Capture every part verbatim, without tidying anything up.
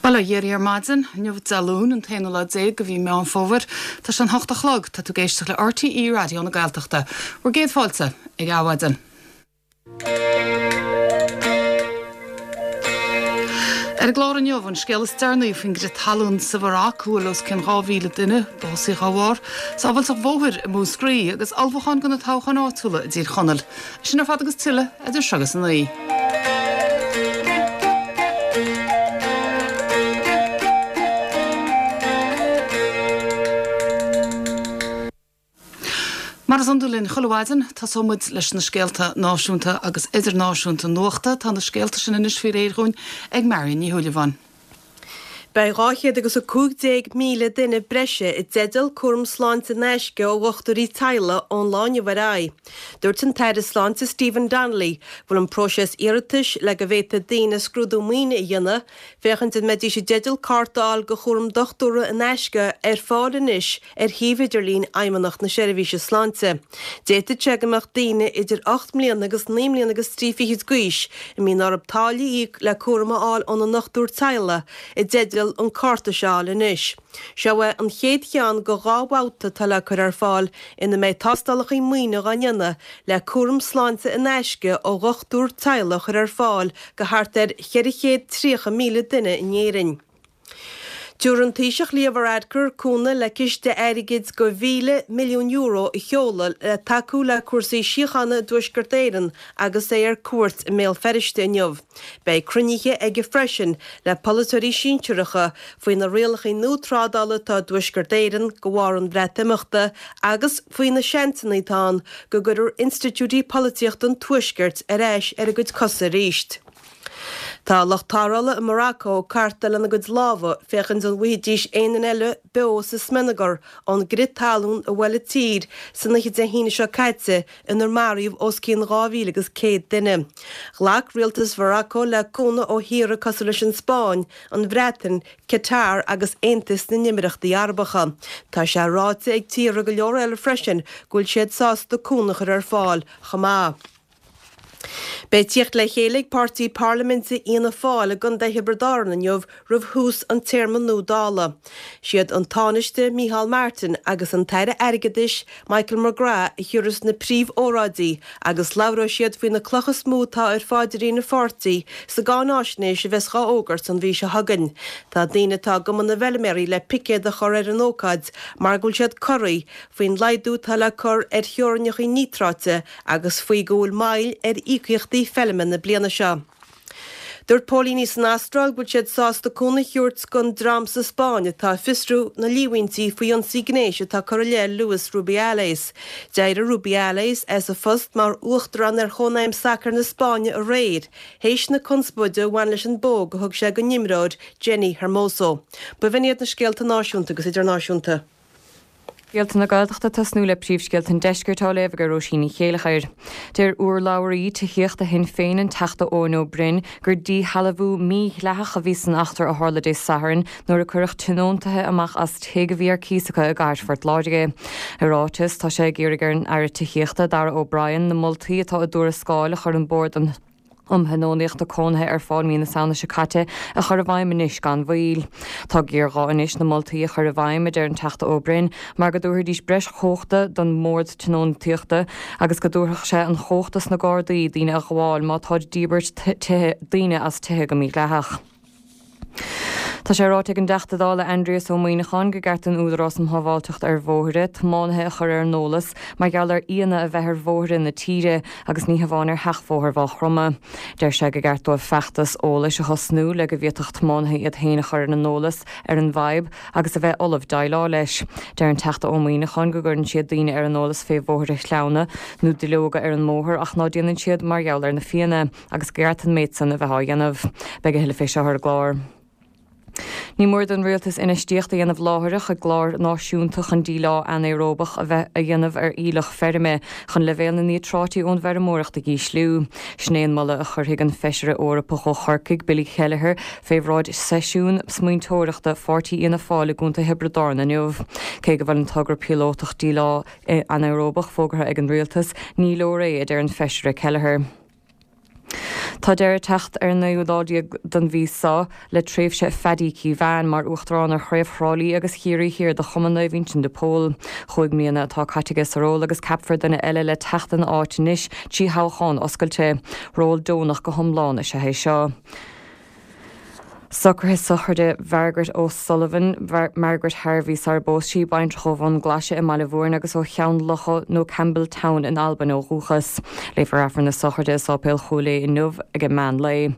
Bail ó Dhia oraibh ar maidin, inniu Dé Luain an t-aonú lá déag de mhí Meán Fómhair. Tá sé an hocht a chlog, tá tú ag éisteacht le RTÉ Raidió na Gaeltachta. Bhur gcéad fáilte ag Adhmhaidin. Ar an gclár inniu, an scéal is deireanaí faoin gcrith talún sa Mharóc, a bhfuil os cionn dhá mhíle duine básaithe dá bharr, sábháilteacht bhóthair i Múscraí agus ullmhúcháin do na toghcháin áitiúla i dTír Chonaill. Sin ar fad agus tuilleadh idir seo agus a naoi. Mar is iondúil linn chuile mhaidin, tosóidh muid leis na scéalta náisiúnta agus idirnáisiúnta nuachta. Tá na scéalta sin anois faoi réir dhúinn ag Marion Ní Shúilleabháin. Beidh dhá chéad agus a cúig déag míle duine breise i dteideal cúram sláinte in aisce ó dhochtúirí teaghlaigh ón lá inniu ar aghaidh. Dúirt an tAire Sláinte Stephen Donnelly go bhfuil an próiseas iarratais le go bhféadfaidh daoine scrúdú maoine a dhéanamh féachaint an mbeidís i dteideal cárta a fháil do chúram dochtúra in aisce ar fáil anois ar shuíomh idirlín Fheidhmeannacht na Seirbhíse Sláinte. D'fhéadfadh sé go mbeadh daoine idir ocht mbliana agus naoi mbliana agus trí fichid d'aois a mbíonn orthu táille a íoc le cúram a fháil óna ndochtúir teaghlaigh i dteideal an cárta seo a fháil anois. Seo é an chéad cheann de dhá bhabhta atá le cur ar fáil ina mbeidh tástálacha maoine dhá ndéanamh le cúram sláinte in aisce ó dhochtúir teaghlaigh a chur ar fáil go thart ar cheithre chéad tríocha míle duine in Éirinn. Tabharfaidh an Taoiseach Leo Varadkar cúnamh le ciste airgid de mhíle milliún euro a sheoladh le tacú le cúrsaí síochána i dTuaisceart Éireann agus é ar cuairt i mBéal Feirste inniu. Beidh cruinnithe aige freisin le polaiteoirí sinsearacha faoi na rialacha nua trádála atá i dTuaisceart Éireann de bharr an Bhreatimeachta agus faoi na seansanna atá ann go gcuirfear institiúidí polaitíochta an Tuaiscirt ar ais ar a gcuid cosa arís. Tá lucht tarrthála i Morocco ag cartadh lena gcuid lámha féachaint an bhfaighidís aon duine eile beo sa smionagar ón gcrith talún a bhuail an tír san oíche Dé hAoine seo caite inar maraíodh os cionn dhá mhíle agus céad duine. Ghlac rialtas Mhorocco le cúnamh ó thíortha cosúil leis an Spáinn, an Bhreatain, Qatar agus Aontas na nÉimireachtaí Arabacha. Tá sé ráite ag tíortha go leor eile freisin go bhfuil siad sásta cúnamh a chur ar fáil chomh maith. Beidh tíocht le chéile ag páirtí parlaiminte Fhianna Fáil i gContae Thiobraid Árann inniu roimh thús an téarma nua Dála. Siad an Tánaiste Micheál Martin agus an tAire Airgeadais Michael McGrath a thiúrfas na príomh-óráidí agus labhróidh siad faoi na clocha is mó atá ar pháidrín an pháirtí sa gcáináisnéis a bheas dhá fhógairt an mhí seo chugainn. Tá daoine atá i gCumann na bhFeilméaraí le picéad a chur ar an ócáid mar go bhfuil siad corraithe faoin laghdú atá le cur ar theorainneacha níotráite agus faoi go bhfuil moill ar íocaíochtaí feilme na bliana seo. Dúirt póilíní san Astráil go bhfuil siad sásta cúnamh a thabhairt don dream sa Spáinn atá ag fiosrú na líomhaintí faoi ionsaí gnéis atá curtha i leith Luis Rubiales. D'éirigh Rubiales as a phost mar uachtarán ar Chónaidhm Sacair na Spáinne aréir, théis na conspóide a bhain leis an bpóg a thug sé don imreoir Jenni Hermoso. B'in iad na scéalta náisiúnta agus idirnáisiúnta. Scéalta na Gaeltachta tosnú le príomhscéalta an deiscirt á léamh ag Róisín Ní Chéilleachair. Deir urlabhraí tithíochta Shinn Féin an Teachta Eoin Ó Broin gur díshealbhú mídhleathach a bhí san eachtra a tharla Dé Sathairn nuair a cuireadh tionóntaithe amach as tigh a bhí ar cíos acu i gcathair Phort Láirge. I ráiteas, tá sé ag iarraidh ar an Aire Tithíochta, Darragh O'Brien, na moltaí atá i dtuarascáil a chuir an Bord um Thionóntaíocht Cónaithe ar fáil mí na Samhna seo caite a chur i bhfeidhm anois gan mhoill. Tá géarghá anois na moltaí a chur i bhfeidhm, a deir an Teachta Ó Broin, mar go dtabharfaidís breis chumhachta don mBord Tionóntaíochta agus go dtabharfadh sé an chumhacht dos na Gardaí daoine a ghabháil má táid ag díbirt tithe daoine as tithe go mídhleathach. Tá sé ráite ag an dTeachta Dála Aindrias Ó Muimhneacháin gur ceart don Údarás um Shábháilteacht ar Bhóithre tiománaithe a chur ar an eolas mar gheall ar fhianna a bheith ar bhóithre na tíre agus ní hamháin ar sheachbhóthar Mhaigh Chromtha. Deir sé gur ceart dóibh feachtas eolais a thosnú le go bhféadfadh tiománaithe iad féin a chur ar an eolas ar an bhfadhb agus a bheith ullamh déileáil leis. Deir an Teachta Ó Muimhneacháin go gcuireann siad daoine ar an eolas fé bhóithre shleamhna nó duilleoga ar an mbóthar ach ná déanann siad mar gheall ar na fianna agus gur ceart an méid san a bheith á dhéanamh. Beidh a thuilleadh fé seo ar an gclár. Ní mór don rialtas infheistíocht a dhéanamh láithreach i gclár náisiúnta chun díleá anaeróbach a bheith a dhéanamh ar aoileach feirme chun leibhéal na níotráití ón bhfeirmeoireacht a dhísliú. Sin é an moladh a chuirfidh an Feisire Eorpach ó Chorcaigh, Billy Kelleher, fé bhráid seisiún smaointeoireachta Pháirtí Fhianna Fáil i gContae Thiobraid Árann inniu. Cé go bhfuil an togra píolótach díleá anaeróbach fógartha ag an rialtas, ní leor é, a deir an Feisire Kelleher. Tá deireadh ag teacht ar an naoú lá déag den mhí seo le tréimhse Phaddy Keevan mar uachtarán ar Chraobh Thrá Lí agus Chiarraí Thiar de Chumann Naomh Uinseann de Pól. Chúig mbliana atá caite aige sa ról agus ceapfar duine eile le teacht ina áit anois trí thoghchán oscailte. Ról deonach go hiomlán is ea é seo. Socruithe sochraide Mhargaret O'Sullivan, Margaret Harvey sar bpós sí, baintreach ó Bhun Glaise i mBaile Mhúirne agus ó Cheann Locha nó Campbeltown in Albain ó dhúchas. Léifear Aifreann na sochraide i Sáipéal Chúil Aodha inniu ag an meán lae.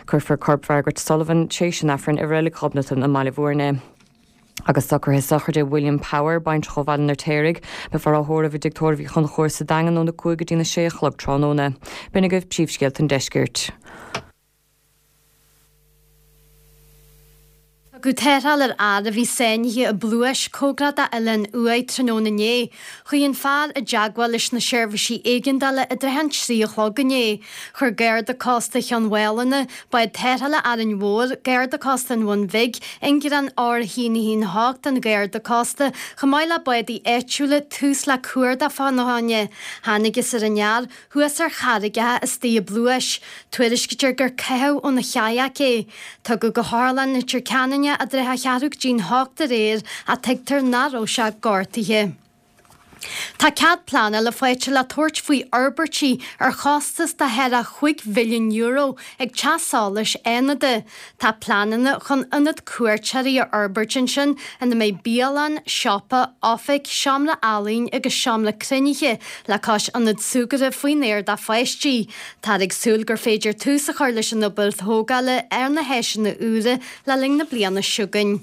Cuirfear corp Mhargaret Sullivan tréis an Aifrinn i Reilig Ghobnatan i mBaile Mhúirne. Agus socruithe sochraide William Power, baintreach ó Bhaile an Fheirtéaraigh, beifear á thórramh i dTigh Tórraimh Uí Chonchúir sa Daingean óna cúig go dtí na sé a chlog tráthnóna. B'in agaibh príomhscéalta an deiscirt. Tugadh tarrtháil ar fhear a bhí sáinnithe i bpluais cóngarach d'Oileán Uaighe tráthnóna inné. Chuaigh an fear i dteagmháil leis na seirbhísí éigeandála i dtrátha an trí a chlog inné. Chuir Garda Cósta Chionn Mhálanna, Bád Tarrthála Árainn Mhór, Garda Cósta an Bhun Bhig, Ingearán R a haon a haon a hocht an Gharda Cósta, chomh maith le bádaí áitiúla, tús le cuardach fána choinne. Thángthas ar an fhear thuas ar charraigeacha istigh i bpluais. Tuairiscítear gur caitheadh óna chayak é. Tugadh go hOtharlann Leitir Ceanainn é i dtrátha a cheathrú go dtí'n hocht aréir ach tuigtear nach raibh sé gortaithe. Tá cead pleanála faighte le tabhairt faoi fhorbairtí ar chostas de thar a chúig mhilliún euro ag Teach Solais Fhánada. Tá pleananna chun ionad cuairteoirí a fhorbairt ansin ina mbeidh bialann, siopa, oifig, seomra ealaíne agus seomra cruinnithe le cois ionad súgartha faoin aer do pháistí. Táthar ag súil gur féidir tús a chur leis an obair thógála ar na háiseanna úra le linn na bliana seo chugainn.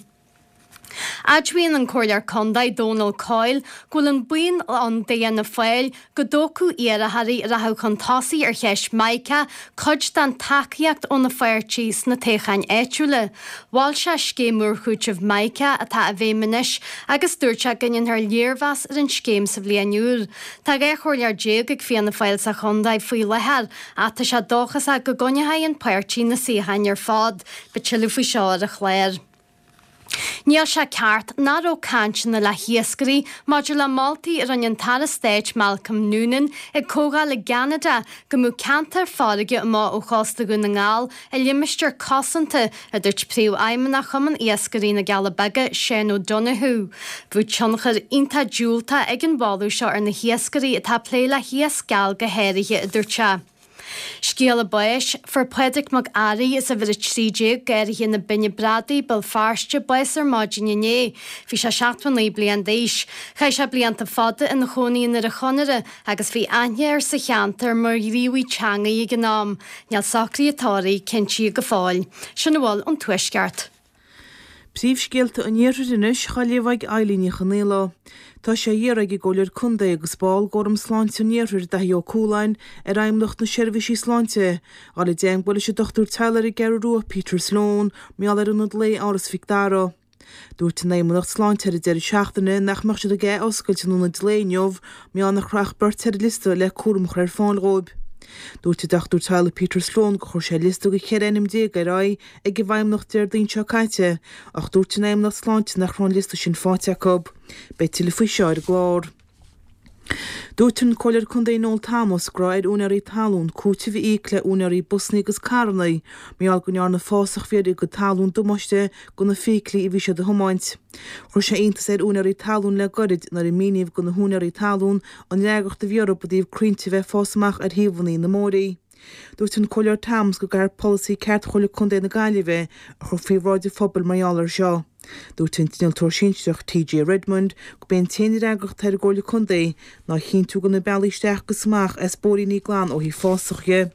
Admhaíonn an Comhairleoir Contae Dónal Coyle go bhfuil an baol ann d'Fhianna Fáil go dtógfadh iarrthóirí a rachadh chun tosaigh ar cheist Mica cuid den tacaíocht óna pháirtí sna toghcháin áitiúla. Mhol sé scéim úr chúitimh Mica atá i bhfeidhm anois agus dúirt sé go ndéanfar léirmheas ar an scéim sa bhliain úr. Tá dhá chomhairleoir déag ag Fianna Fáil sa chontae faoi láthair ach tá sé dóchasach go gcoinneoidh an páirtí na suíocháin ar fad. Beidh tuilleadh faoi seo ar an chlár. Níl sé ceart nach raibh cainteanna le hiascairí maidir le moltaí a rinne an tAire Stáit Malcolm Noonan ag comhdháil i gCeanada go mbeadh ceantar farraige amach ó chósta Dhún na nGall i limistéar cosanta, a dúirt Príomhfheidhmeannach Chumann Iascairí na gCealla Beaga, Seán O'Donoghue. Bheadh tionchar iontach diúltach ag an mholadh seo ar na hiascairí atá ag plé le hiasc geal go háirithe, a dúirt sé. Scéala báis, Fuair Pádraig Mac Fhearraigh as uimhir a trí déag, Garraithe na Binne Bradaí, Béal Feirste, bás ar maidin inné. Bhí sé seachtó naoi bliain d'aois. Chaith sé blianta fada ina chónaí i nDoire Chonaire agus bhí aithne air sa cheantar mar ghníomhaí teangaidh ag an am. Níl socruithe tórraimh cinntithe go fóill. Sin a bhfuil ón Tuaisceart. Príomhscéalta an Iarthair anois, á léamh ag Eilín Ní Chonaola. Tá sé á iarraidh ag an gComhairleoir Contae agus ball d'Fhóram Sláinte an Iarthair, Daithí Ó Cualáin, ar Fheidhmeannacht na Seirbhísí Sláinte, dhul i dteangmháil leis an dochtúir teaghlaigh ar an gCeathrú Rua, Peter Sloane, mar gheall ar ionad lae Áras Mhic Dara. Dúirt an Fheidhmeannacht Sláinte ar an deireadh seachtaine nach mbeadh siad ag athoscailt an ionaid lae inniu mar gheall nach raibh ach beirt ar an liosta le cúram a chur ar fáil dhóibh. Dúirt an dochtúir teaghlaigh Peter Sloane gur chuir sé liosta de cheithre ainm déag ar aghaidh ag an bhFeidhmeannacht Déardaoin seo caite ach dúirt an Fheidhmeannacht Sláinte nach raibh an liosta sin faighte acu. Beidh tuilleadh faoi seo ar an gclár. Dúirt an Comhairleoir Contae Noel Thomas go raibh ar úinéirí talún cúiteamh a íoc le úinéirí busanna agus carranna mar gheall go ndearna fásach a bhí ar a gcuid talún damáiste do na feithiclí a bhí siad a thiomáint. Chuir sé iontas ar úinéirí talún le gairid nuair a míníodh do na húinéirí talún an fhreagracht a bhí orthu i dtaobh crainnte a bheith ag fás amach ar thaobhanna na mbóithrí. Dúirt an Comhairleoir Thomas go gcaithfear polasaí ceart Chomhairle Contae na Gaillimhe a chur faoi bhráid an phobail mar gheall air seo. Dúirt an t-innealtóir sinsearach T J Redmond gurb é an t-aon fhreagracht atá ar an gComhairle Contae ná a chinntiú go bhfuil na bealaí isteach agus amach as bóithríní glan ó thaobh fásach dhe.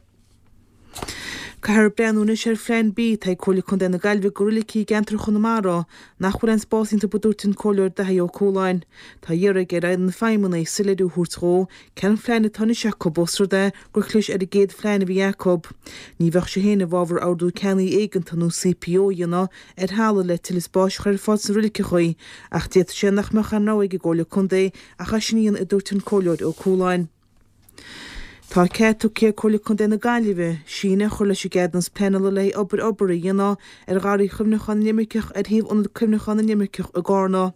Caithfear breathnú anois ar Phlean B atá ag Comhairle Contae na Gaillimhe do roilicí i gceantar Chonamara nach bhfuil aon spás iontu a dúirt an Comhairleoir Daithí Ó Cualáin. Tá á iarraidh ar na feidhmeannaigh soiléiriú a thabhairt dhó cén phlean atá anois acu ós rud é gur chlis ar an gcéad phlean a bhí acu. Ní bheadh sé féin i bhfabhar ordú ceannaigh éigeantaigh nó C P O a dhéanamh ar thalamh le tuilleadh spáis a chur ar fáil sna roiliceacha ach d'fhéadfadh sé nach mbeadh aon rogha ag an gComhairle Contae ach é sin a dhéanamh a dúirt an Comhairleoir Ó Cualáin. Tá cead tugtha ag Comhairle Contae na Gaillimhe síneadh a chur leis an gceadúnas pleanála le haghaidh obair obair a dhéanamh ar Gharraí Chuimhneacháin na nImirceach ar thaobh Ionad Cuimhneacháin na nImirceach i gCarna.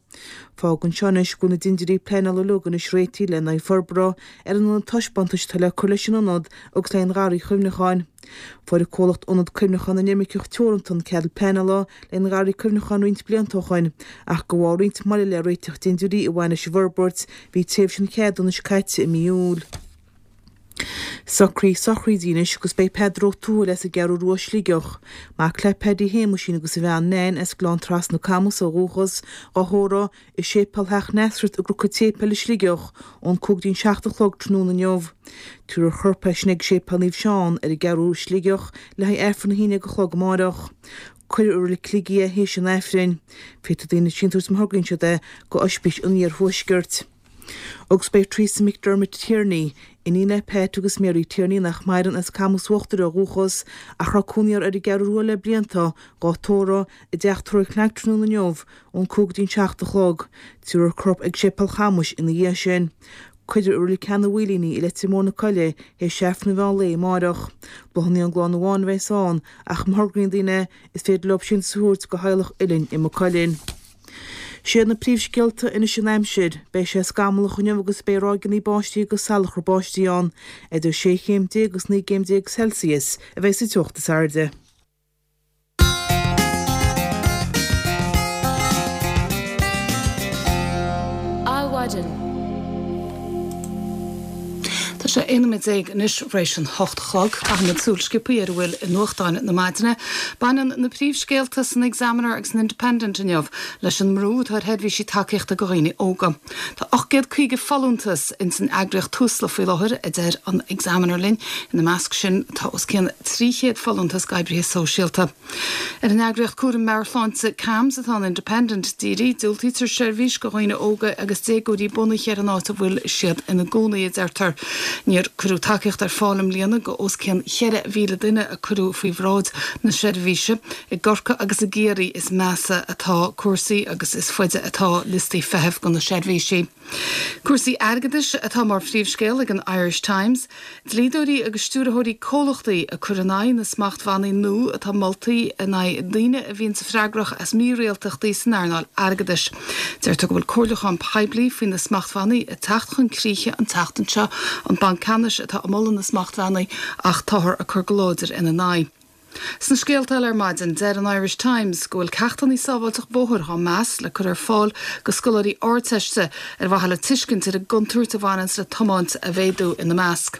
Fágann seo anois go bhfuil na dindiúirí pleanála uilig anois réitithe le haghaidh forbartha ar an ionad taispeántais atá le cur leis an ionad agus le haghaidh an Gharraí Chuimhneacháin. Fuair an comhlacht Ionad Cuimhneacháin na nImirceach Teoranta an cead pleanála le haghaidh an Gharraí Cuimhneacháin roinnt blianta ó shoin ach de bharr roinnt moille le réiteach dindiúirí a bhain leis an bhforbairt, bhí tréimhse an cheadúnais caite i mí Iúil. Socruithe sochraide anois agus beidh Peadar Ó Tuathail as an gCeathrú Rua Sligeach, mac le Paddy Shéamuisín agus a bhean Nan as Gleann Trasna Camus ó dhúchas, dhá thórramh i Séipéal Theach Nasareth i gCnoc an tSéipéil i Sligeach ón cúig dtí'n seacht a chlog tráthnóna inniu. Tabharfar a chorp ansin ag Séipéal Naomh Seán ar an gCeathrú i Sligeach le haghaidh Aifreann a haon déag a chlog amáireach. Cuirfear i Reilig Shligigh é théis an Aifrinn. Féadfaidh daoine síntiús má thograíonn siad é go Oispís an Iarthuaiscirt. Agus beidh Teresa McDermott Tierney, iníon le Pat agus Mary Tierney nach maireann as Camus Uachtair ó dhúchas, ach a raibh cónaí orthu ar an gCeathrú Rua le blianta, dhá tórramh i dteach tórraimh CnaG tráthnóna inniu ón cúig go dtí'n seacht a chlog. Tabharfar a corp ag Séipéal Chamuis ina dhiaidh sin. Cuirfear i Reilig Ceann an Mhaoilín í i Leitir Móir na Coille théis Aifreann an mheán lae amáireach. Bláthanna ón gclann amháin a bheas ann ach má thograíonn daoine is féidir leo síntiús a thabhairt go theaghlach Uilinn i Maigh Cuilinn. Siad na príomhscéalta anois an aimsir. Beidh sé scamallach inniu agus beidh ráigeanna báistí agus salachar báistí ann. Idir sé chéim déag agus naoi gcéim déag Celsius a bheidh sa teocht is airde. Adhmhaidin. Tá sé aon nóiméad déag anois tar éis an hocht a chlog. Caithfimid súil sciobtha ar a bhfuil i nuachtáin na maidine. Baineann na príomhscéalta san Examiner agus san Independent inniu leis an mbrú atá ar sheirbhísí tacaíochta do dhaoine óga. Tá ocht gcéad caoga folúntas ins an eagraíocht Tusla faoi láthair, a deir an Examiner linn. Ina measc sin tá os cionn trí chéad folúntas d'oibrithe sóisialta. Ar an eagraíocht cúraim meabhairshláinte CAMHS atá an Independent dírithe, diúltaítear seirbhís do dhaoine óga agus déagóirí bunaithe ar an áit a bhfuil siad ina gcónaí, a deirtear. Níor cuireadh tacaíocht ar fáil i mbliana go os cionn cheithre mhíle duine a cuireadh faoi bhráid na seirbhíse. I gCorcaigh agus i gCiarraí is measa atá cúrsaí agus is faide atá liostaí feithimh do na seirbhísí. Cúrsaí airgeadais atá mar phríomhscéal ag an Irish Times, dlíodóirí agus stiúrthóirí comhlachtaí ag cur in aghaidh na smachtbhannaí nua atá molta in aghaidh daoine a bhíonn freagrach as mírialtachtaí san earnáil airgeadais. Deirtear go bhfuil comhairliúchán poiblí faoi na smachtbhannaí ag teacht chun críche an tseachtain seo, an Banc Ceannais atá ag moladh na smachtbhannaí ach táthar ag cur go láidir ina n-aghaidh. Sna scéalta eile ar maidin, deir an Irish Times go bhfuil ceachtanna sábháilteacht bóthair á meas le cur ar fáil go scoláirí Ardteiste ar mhaithe le tuiscint ar an gcontúirt a bhaineanns le tiomáint a mhéadú ina measc.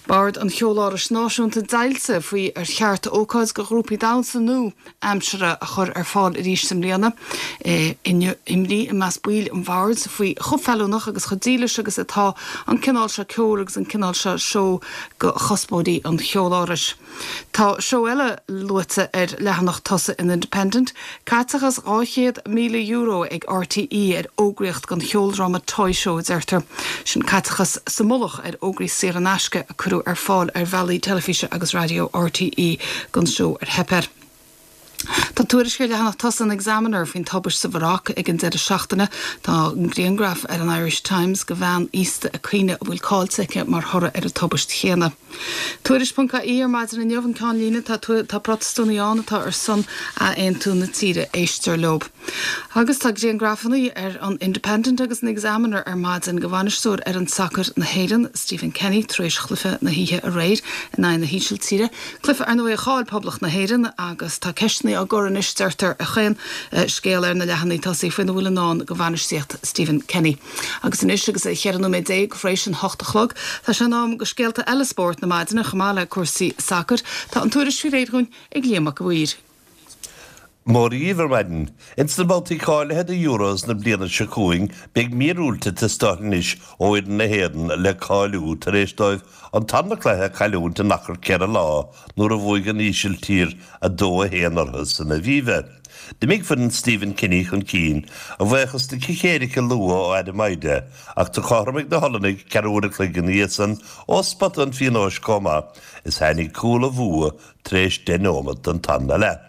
Bord an Cheolárais Náisiúnta deighilte faoi ar cheart ócáid do ghrúpaí damhsa nua aimsire a chur ar fáil arís i mbliana. Imní i measc baill an bhoird faoi chomh feiliúnach agus chomh dílis agus atá an cineál seo ceoil agus an cineál seo seó go chuspóirí an Cheolárais. Tá seó eile luaite ar leathanach tosaigh an Independent, caiteachas dhá chéad míle euro ag RTÉ ar fhógraíocht don cheoldráma Toy Show, a deirtear. Sin caiteachas sa mullach ar fhógraí saor in aisce a cuireadh ar fáil ar bhealaí teilifíse agus raidió RTÉ don seó ar theip air. Tá tuairisc ar leathanach tosaigh an Examiner faoin tubaist sa Mharóc ag an deireadh seachtaine. Tá an grianghraf ar an Irish Times de bhean aosta ag caoineadh a bhfuil caillte aici mar thoradh ar an tubaist chéanna. Tuairisc ponc ie ar maidin inniu an ceann líne tá tá Protastúnaigh ann atá ar son athaontú na tíre éistear leo. Agus tá grianghrafanna ar an Independent agus an Examiner ar maidin de bhainisteoir fhoireann sacair na hÉireann, Stephen Kenny, tar éis chluiche na hoíche aréir in aghaidh na hÍsiltíre. Cluiche ar ndóigh a chaill Poblacht na hÉireann agus tá ceisteanna á gcur anois deirtear ar chaon scéal ar na leathanaigh tosaigh faoina bhfuil i ndán do bhainistíocht Stephen Kenny. Agus anois agus é cheithre nóiméad déag tar éis an hocht a chlog, tá sé in am do scéalta eile spóirt na maidine chomh maith le cúrsaí sacair. Tá an tuairisc faoi réir dhúinn ag Liam Mac a' Mhaoir. Mora dhaoibh ar maidin. Ins na babhtaí cáilithe do Euros na bliana seo chugainn, beidh míorúilt ag teastáil anois ó fhoireann na hÉireann le cáiliú tar éis dóibh an tarna cluiche a chailliúint in achar ceithre lá nuair a bhuaigh an Ísiltír a dó a haon orthu san Aviva. D'imigh foireann Stephen Kenny chun cinn a bhuíochas do chic éirice luath ó Adam Idah ach do chothromaigh na hOllannaigh ceathrú uair a chloig ina dhiaidh san ó spota an phionóis chomh maith is tháinig cúl an bhua tar éis deich nóiméad den tarna leath.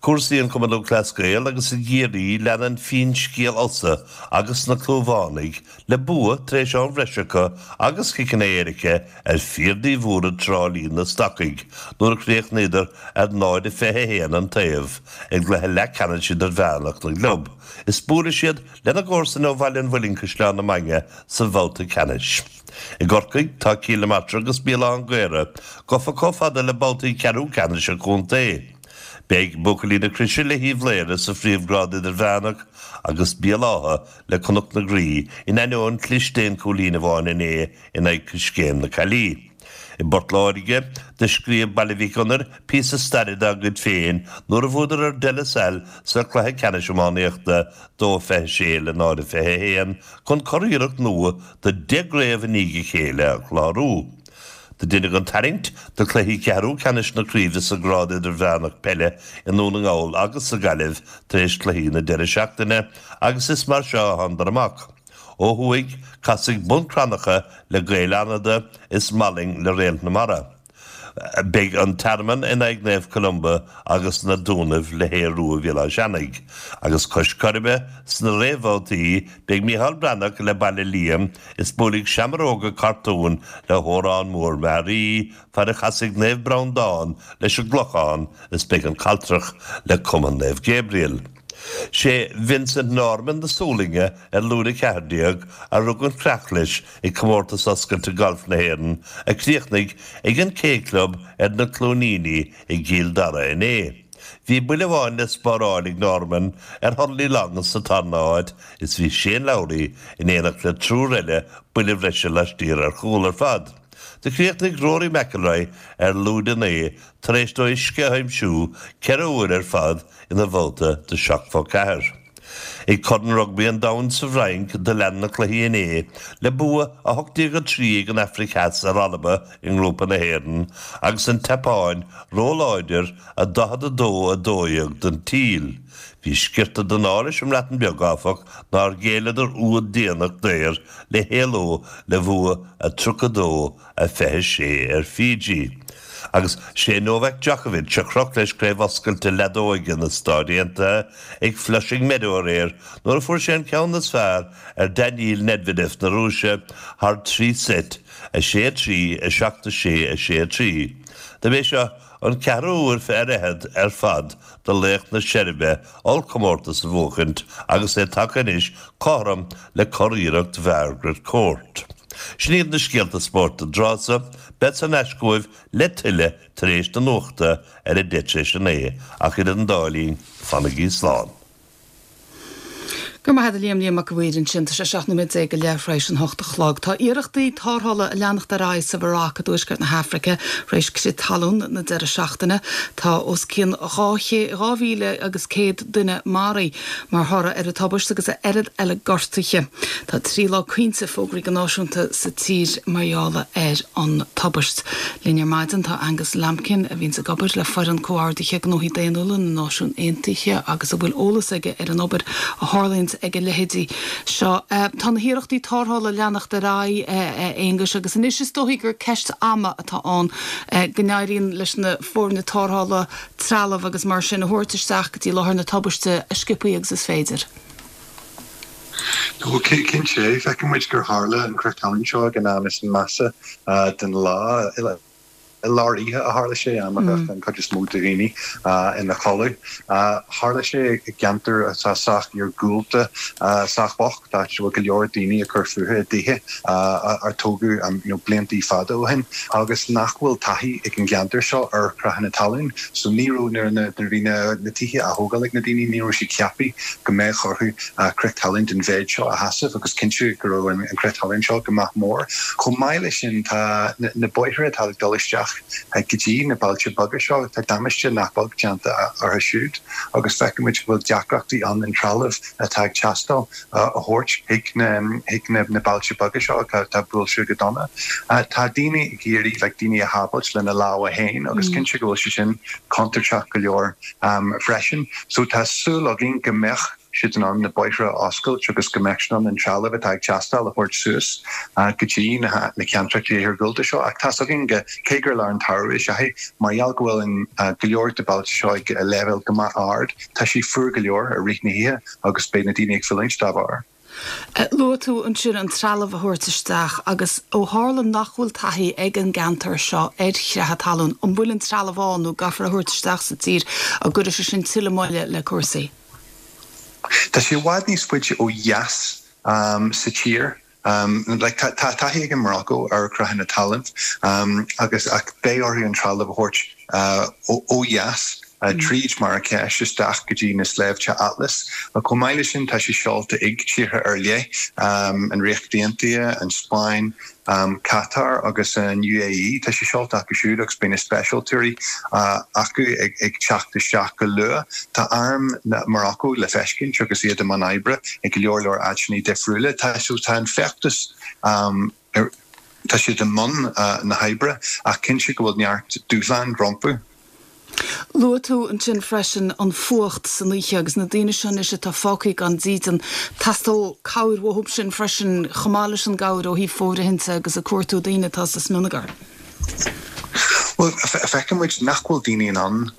Cúrsaí an Chumann Lúthchleas Gael agus i gCiarraí leanann finscéal Ossa agus na Clúmhánaigh le bua tar éis am bhreise acu agus ciceanna éirice ar Fir Naomh Mhuire Trá Lí na Stacaigh nuair a chríochnaíodar ar náid a fiche a haon an taobh i gcluiche leathcheannais idirmheánach na gclub is buailfidh siad lena gcomharsain ó Bhaile an Mhuilinn Caisleán na Mainge sa bhabhta ceannais. I gCorcaigh tá Cill na Martra agus Béal Átha an Ghaorthaidh gafa chomh fada le babhtaí ceathrú ceannais an chontae. Beidh buachaillí na Croise le hUíbh Laoire sa phríomhghrád idirmheánach agus Béal Átha le Cnoc na Graí in ainneoin cliste aon chúilín amháin inné in aghaidh Coiscéim na Caillí. I bPort Láirge, do scríobh Baile Mhic Gonair píosa staire dá gcuid féin nuair a bhuadar ar De La Salle sa chluiche ceannais iománaíochta, dó a fiche sé le náid a fiche a haon, chun curiarracht nua de deich gcraobh i ndiaidh a chéile a chlárú. Do deineadh an tarraingt do chluichí ceathrú ceannais na craoibhe sa ghrád idirmheánach peile i nDún na nGall agus sa Ghaillimh tar éis cluichí na deireadh seachtaine agus is mar seo a thánadar amach. Ó thuaidh, casfaidh Bun Cranncha le Gaeil Fhánada is Mallaing le Réalt na Mara. Beidh an Tearmann in aghaidh Naomh Columba agus na Dúnaibh le hAodh Rua Bhéal Átha Seanaidh. Agus cois Coiribe, sna réamhbhabhtaí, beidh Micheál Breathnach le Baile Liam is buailfidh Seamróga Cartún le hÓrán Mór Mearaí, fad a chasfaidh Naomh Breandán leis an gClochán is beidh an Caltrach le Cumann Naomh Gabriel. Sé Vincent Norrman na Sualainne ar lúide a ceathair déag a rug an chreach leis ag Comórtas Oscailte Gailf na hÉireann a chríochnaigh ag an K Club ar na Cluainíní i gCill Dara inné. Bhí buille amháin le spáráil ag Norrman ar Hurley Long sa tarna háit is bhí Shane Lowry in éineacht le triúr eile buille bhreise laistiar ar chúl ar fad. Do chríochnaigh Rory McIlroy ar lúide naoi tar éis dó uisce a aimsiú ceithre huaire ar fad ina bhabhta de seachtó ceathair. Ag Corn Rugbaí an Domhain sa bhFrainc do lean na cluichí inné le bua a hocht déag a trí ag an Afraic Theas ar Alba i ngrúpa na hÉireann agus an tSeapáin róláidir a daichead a dó a dó dhéag don tSíl. Bhí sciorta den ádh leis an mBreatain Bheag, áfach, nár ghéilleadar úd déanach daor le héaló le bhua a tríocha dó a fiche sé ar Fiji. Agus sé Novak Djokovic a chroch leis Craobh Oscailte Leadóige na Stát Aontaithe ag Flushing Meadow aréir nuair a fuair sé an ceann is fearr ar Daniil Medvedev na Rúise thar trí seit, a sé a trí, a seacht a sé, a sé a trí. Dob é seo an ceathrú huair ar fhichead ar fad do laoch na Seirbe ollchomórtas a bhuachaint agus é tagtha anois cothrom le curiarracht Mhargaret Court. Sin iad na scéalta spóirt don tráth so. Bead thar n-ais chugaibh le tuilleadh tar éis na nuachta ar a deich tar éis a naoi, ach idir an dá linn, fanaigí slán. Go raibh maith agat a Liam, Liam Mac a' Mhaoir ansin. Tá sé seacht nóiméad déag go leith tar éis an hocht a chlog. Tá iarrachtaí tarrthála ag leanacht ar aghaidh sa Mharóc i dtuaisceart na hAfraice tar éis crith talún na deireadh seachtaine. Tá os cionn dhá dhá mhíle agus céad duine maraithe mar thoradh ar an tubaist agus a oiread eile gortaithe. Tá trí lá caointe fógraithe go náisiúnta sa tír mar gheall ar an tubaist. Linn ar maidin tá Angus Lambkin a bhíonns ag obair le foireann comhordaithe gnóthaí daonnúla na Náisiún Aontaithe agus a bhfuil eolas aige ar an obair a tharlaíonns ag a leithéidí seo. Tá na hiarrachtaí tarrthála ag leanacht ar aghaidh, a Aonghuis, agus anois is dóichí gur ceist ama atá ann go n-éiríonn leis na foirne tarrthála trealamh agus mar sin a thabhairt isteach go dtí láthair na tubaiste a sciobthaí agus is féidir. Ó, cinnte, feiceann muid gur tharla an crith talún seo ag an am is measa den lá. I lár oíche a tharla sé, am a bheadh an chuid is mó de dhaoine ina chodladh. Tharla sé i gceantar atá sách iargúlta, sách bocht, áit a bhfuil go leor daoine ag cur fúthu i dtithe a tógadh blianta fada ó shin agus nach bhfuil taithí ag an gceantar seo ar chreathanna talún. So ní raibh, nuair a bhí na tithe á thógáil ag na daoine, ní raibh siad ceaptha go mbeadh orthu crith talún den mhéid seo a sheasamh agus cinnte go raibh an crith talún seo go maith mór. Chomh maith leis sin, tá na bóithre atá ag dul isteach go dtí na bailte beaga seo, tá damáiste nach beag déanta orthu siúd agus feiceann muid go bhfuil deacrachtaí ann an trealamh atá ag teastáil a thabhairt chuig na bailte beaga seo atá buailte go dona. Tá daoine ag iarraidh like daoine a shábháilt lena lámha féin agus cinnte go bhfuil sé sin contúirteach go leor freisin. So tá súil againn go mbeadh siad in ann na bóithre a oscailt agus go mbeidh siad in ann an trealamh atá ag teastáil a thabhairt suas go dtí na ceantracha iargúlta seo. Ach tá's againn go, cé gur lár an tsamhraidh is ea é, mar gheall go bhfuil go leor de bailte seo ag leibhéal go maith ard, tá sé fuar go leor i rith na hoíche agus beidh na daoine ag fulaingt dá bharr. Luaigh tú ansin an trealamh a thabhairt isteach agus ó tharla nach bhfuil taithí ag an gceantar seo ar chreathadh talún, an bhfuil an trealamh ann nó an gcaithfear é a thabhairt isteach sa tír an gcuirfidh sé sin tuilleadh moille le cúrsaí? Tá sé i bhfad níos faide ó dheas sa tír. Like tá taithí ag an Morocco ar chreathanna talún agus ach beidh orthu an trealamh a thabhairt ó dheas tríd Marrakech isteach go dtí na sléibhte Atlas. Chomh maith leis sin tá sé seolta ag tíortha ar leith, an Ríocht Aontaithe, an Spáinn, Qatar agus an UAE. Tá sé seolta acu siúd agus beidh na speisialtóirí acu ag teacht isteach go luath. Tá arm Morocco le feiscint agus iad i mbun oibre i go leor leor áiteanna difriúla. Tá tá an feachtas tá siad i mbun na hoibre ach cinnte go bhfuil neart dúshlán rompu. Luaigh tú ansin freisin an fuacht san oíche agus na daoine seo anois atá fágtha gan dídean. Teastóidh cabhair uathu sin freisin chomh maith leis an gcabhair ó thaobh fóirithinte agus ag cuartú daoine atá sa smionagar. Bhuel, feiceann muid nach bhfuil daoine in ann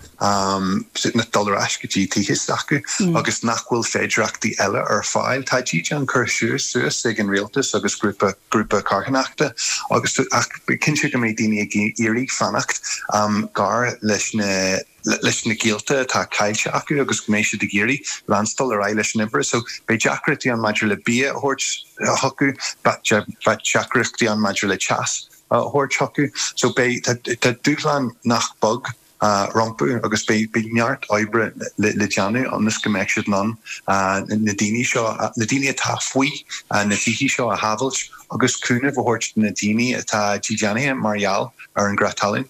dul ar ais go dtí tithe s'acu agus nach bhfuil féidearthachtaí eile ar fáil. Tá dídean curtha suas ag an rialtas agus grúpa grúpa carthanachta agus ach cinnte go mbeidh daoine ag iarraidh fanacht gar leis na leis na gaolta atá caillte acu agus go mbeidh siad ag iarraidh leanstáil ar aghaidh leis an obair. So beidh deacrachtaí ann maidir le bia a thabhairt chucu, beidh deacrachtaí ann maidir le teas a thabhairt chucu. So beidh tá dúshlán nach beag rompu agus beidh neart oibre le déanamh ionas go mbeidh siad in ann na daoine seo, na daoine atá faoi na tithe seo a shábhailt agus cúnamh a thabhairt do na daoine atá dídeanaithe mar gheall ar an gcreath talún.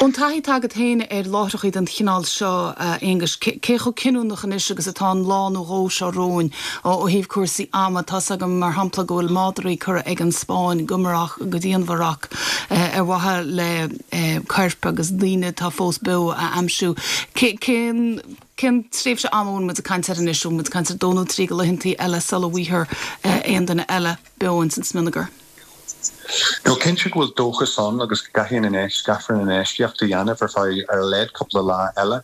Ón taithí atá agat féin ar láithreacha den chineál seo, a Aonghuis, cé chomh cinniúnach anois agus atá an lá nó dhó seo romhainn ó thaobh cúrsaí ama? Tá's agam, mar shampla, go bhfuil madraí curtha ag an Spáinn go Maroc, go dtí an Mharóc ar mhaithe le coirp agus daoine atá fós beo a aimsiú. Cén cén tréimhse ama a bhfuil muid ag caint air anois? Bhfuil muid ag caint ar dó nó trí de laethantaí eile sula bhfaighfear aon duine eile beo ins an smionagar? No, cinnte go bhfuil dóchas ann agus go gcaithfidh an caithfear an infheistíocht a dhéanamh ar feadh ar a laghad cúpla lá eile.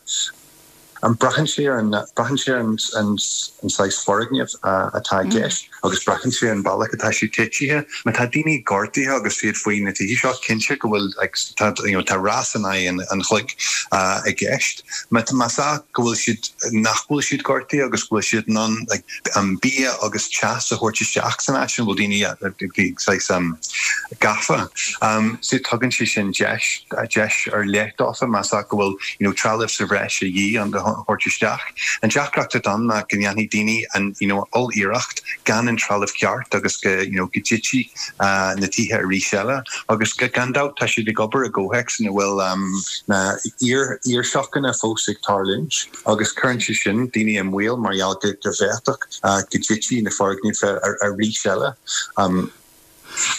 Braitheann sé ar an braitheann sé ar an an saghas foirgneamh atá i gceist agus braitheann sé ar an bealach atá sé titithe. Má tá daoine gortaithe agus iad faoi na tithe seo, cinnte go bhfuil like tá you know tá rás in aghaidh an chloig i gceist. Má más ea go bhfuil siad nach bhfuil siad gortaithe agus go bhfuil siad in ann like bia agus teas a thabhairt isteach san áit ina bhfuil daoine saghas gafa. So tugann sé sin deis deis ar leith dófa más ea go bhfuil you know trealamh sa bhreis a dhíth an thabhairt isteach. An deacracht atá ann ná go ndéanfaidh daoine an you know oll-iarracht gan an trealamh ceart agus go you know go dtitfidh na tithe arís eile agus gan dabht tá siad ag obair i gcomhthéacs ina bhfuil na iar-iarshocanna fós ag tarlúint agus cuireann sé sin daoine i mbaol mar gheall go bhféadfadh go dtitfidh na foirgnimh arís eile.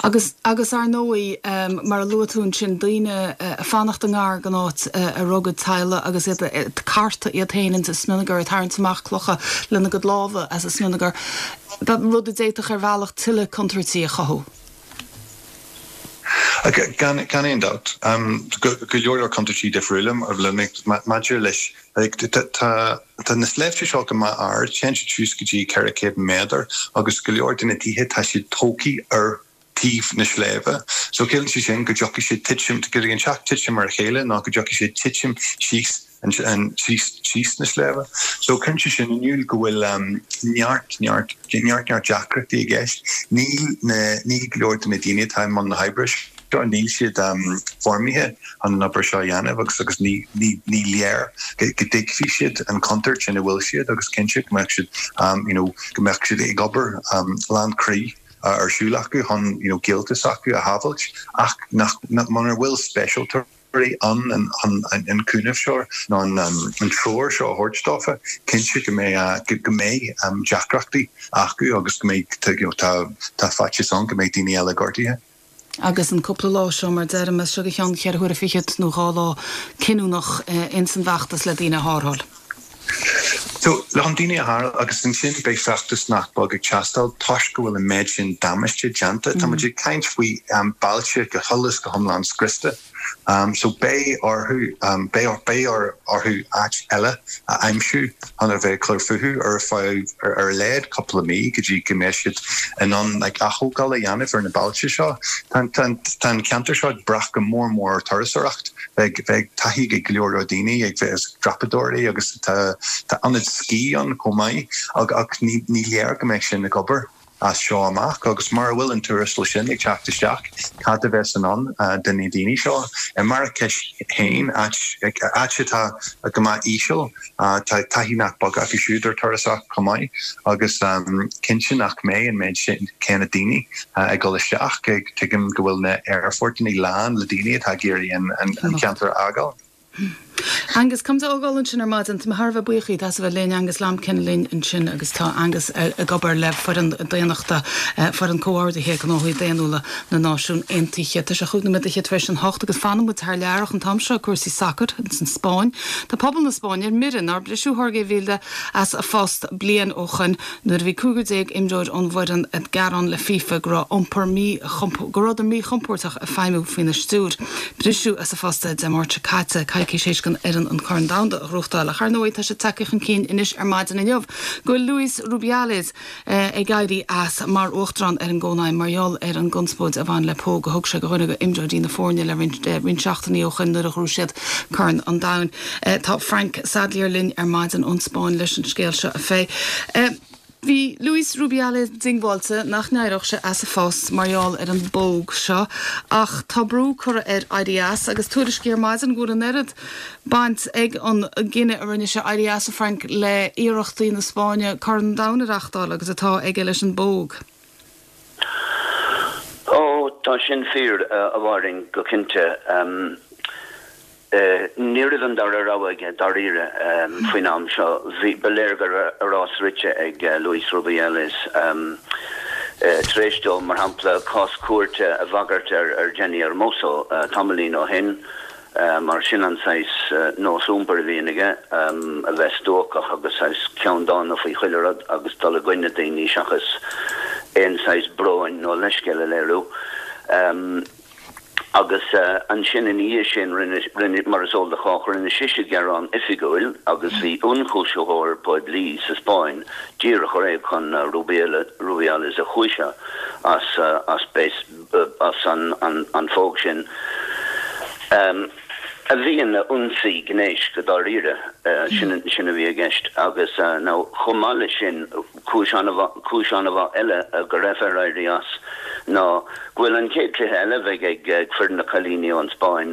Agus, agus ar ndóigh, mar a luaigh tú ansin, daoine ag fanacht i ngar don áit a raibh a gcuid teaghlaigh agus iad ag cartadh iad féin ins an smionagar, ag tarraingt amach clocha lena gcuid lámha as an smionagar, rud a d'fhéadfadh ar bhealach tuilleadh contúirtí a chothú. Gan aon dabht. Go leor leor contúirtí difriúla maidir leis. Tá na sléibhte seo go maith ard, téann siad suas go dtí ceithre chéad méadar agus go leor de na tithe tá siad tógtha ar taobh na sléibhe. So ciallaíonn sé sin go dtiocfaidh siad titim, go dtig an teach titim ar a chéile nó go dtiocfaidh sé titim síos síos síos na sléibhe. So cuireann sé sin in iúl go bhfuil neart neart neart neart deacrachtaí i gceist. Níl na níl go leor de na daoine atá i mbun na hoibre seo, níl siad foirmithe chun an obair seo a dhéanamh agus agus ní ní ní léir go dtuigfidh siad an chontúirt ina bhfuil siad agus cinnte go mbeadh siad you know go mbeadh siad ag obair lán croí ar siúl acu chun you know gaolta s'acu a shábhailt ach nach muna bhfuil speisialtóirí ann chun an cúnamh seo nó an treoir seo a thabhairt dófa, cinnte go mbeidh go mbeidh deacrachtaí acu agus go mbeidh you know tá tá faitíos ann go mbeidh daoine eile gortaithe. Agus an cúpla lá seo, mar deirim, as seo go ceann ceithre huaire fichead nó dhá lá cinniúnach ins an bhfeachtas le daoine a tharrtháil. So le an daoine a tharraingt agus ansin beidh feachtas nach beag ag teastáil toisc go bhfuil an méid sin damáiste déanta. Tá muid ag caint faoi um, bailte go huile is go hiomlán scriosta. Um, so beidh orthu um, beidh beidh orthu áit eile a aimsiú chun a bheith ag cur fúthu ar feadh ar, ar a laghad cúpla mí go dtí go mbeidh siad in ann like, athógáil a dhéanamh ar na bailte seo. Tá an ceantar seo ag brath go mór mór ar turasóireacht beidh beidh taithí ag go leor daoine ag bheith dreapadóirí agus tá tá ionad scí ann chomh maith ach ach ní ní léir go mbeidh sin ag obair as seo amach agus mar bhfuil an tuarastal sin ag teacht isteach cad a bheas i ndán do na daoine seo i Marrakech féin áit atá go maith íseal tá taithí nach beag acu siúd ar turasóireacht chomh maith agus um, cinnte nach mbeidh an méid sin céanna daoine ag dul isteach ag tuigim go bhfuil na aerfoirt lán le daoine atá ag iarraidh an, an, an ceantar a fhágáil. Angus cum ógáil ansin ar maidin tá thar bheith buíoch as a bheith linn Angus Lambkin linn ansin agus tá Angus ag obair le foireann daonnachta foireann comhordaithe gnóthaí daonnúla na Náisiún Aontaithe. Tá sé chúig nóiméad tar éis an hocht agus fanann muid thar lear an t-am seo cúrsaí sacair san Spáinn. Tá pobal na Spáinne ar mire nár briseadh Jorge Vilda as a phost bliain ó shin nuair a bhí cúigear déag imreoir ón bhfoireann ag gearán le FIFA go raibh iompar mí go rabhadar míchompordach ag feidhmiú faoina stiúir. Briseadh as a phost Dé Máirt seo caite coicís tar éis don fhoireann an Corn Domhanda a ghnóthachtáil ach ar ndóigh tá sé tagtha chun cinn anois ar maidin inniu go bhfuil Luis Rubiales eh, ag éirí as mar uachtarán ar an gCónaidhm mar gheall ar an gconspóid a bhain le póg a thug sé do dhuine d'imreoirí na foirne le roinnt eh, roinnt seachtainí ó shin nuair a ghnóthaigh siad Corn an Domhain. Eh, tá Frank Sadlier linn ar maidin ón Spáinn leis an scéal seo a phlé. Eh, Bhí Luis Rubiales diongbháilte nach n-éireodh sé as a phost mar gheall ar an bpóg seo ach tá brú curtha air éirí as agus tuairiscí ar maidin go bhfuil an oiread baint ag an gcinneadh a rinne sé éirí as a Frank le iarrachtaí na Spáinne Corn an Domhain a reáchtáil agus atá aige leis an bpóg. Ó tá sin fíor a bhhain go cinnte. Um, Uh, ní raibh an dara rogha aige dáiríre um, faoin am seo bhí ba léir go raibh a rás rite ag uh, Luis Rubiales um, uh, tar éis dó mar shampla cás cúirte a bhagairt ar ar Jenny Hermoso uh, tamaillín ó shin uh, mar sin an saghas uh, nós iompair a bhíonn aige um, a bheith stuacach agus saghas ceanndána faoi chuile rud agus dul i gcoinne daoine seachas aon saghas bróin nó leithscéal a léiriú. Um, agus uh, ansin ina dhiaidh sin rinne mar is eol do chách rinne sise gearán oifigiúil agus bhí ionchúisitheoir poiblí sa Spáinn díreach ar aghaidh chun uh, Rubiales a chúiseamh as uh, as bes, uh, as an, an, an phóg sin. Um, a bhí ina ionsaí gnéis go dáiríre uh, sin sin a bhí i gceist agus uh, nó chomh maith leis sin cúis an-mhaith eile uh, go raibh air éirí as ná go bhfuil an chéad chluiche eile bheidh ag ag foireann na cailíní ón Spáinn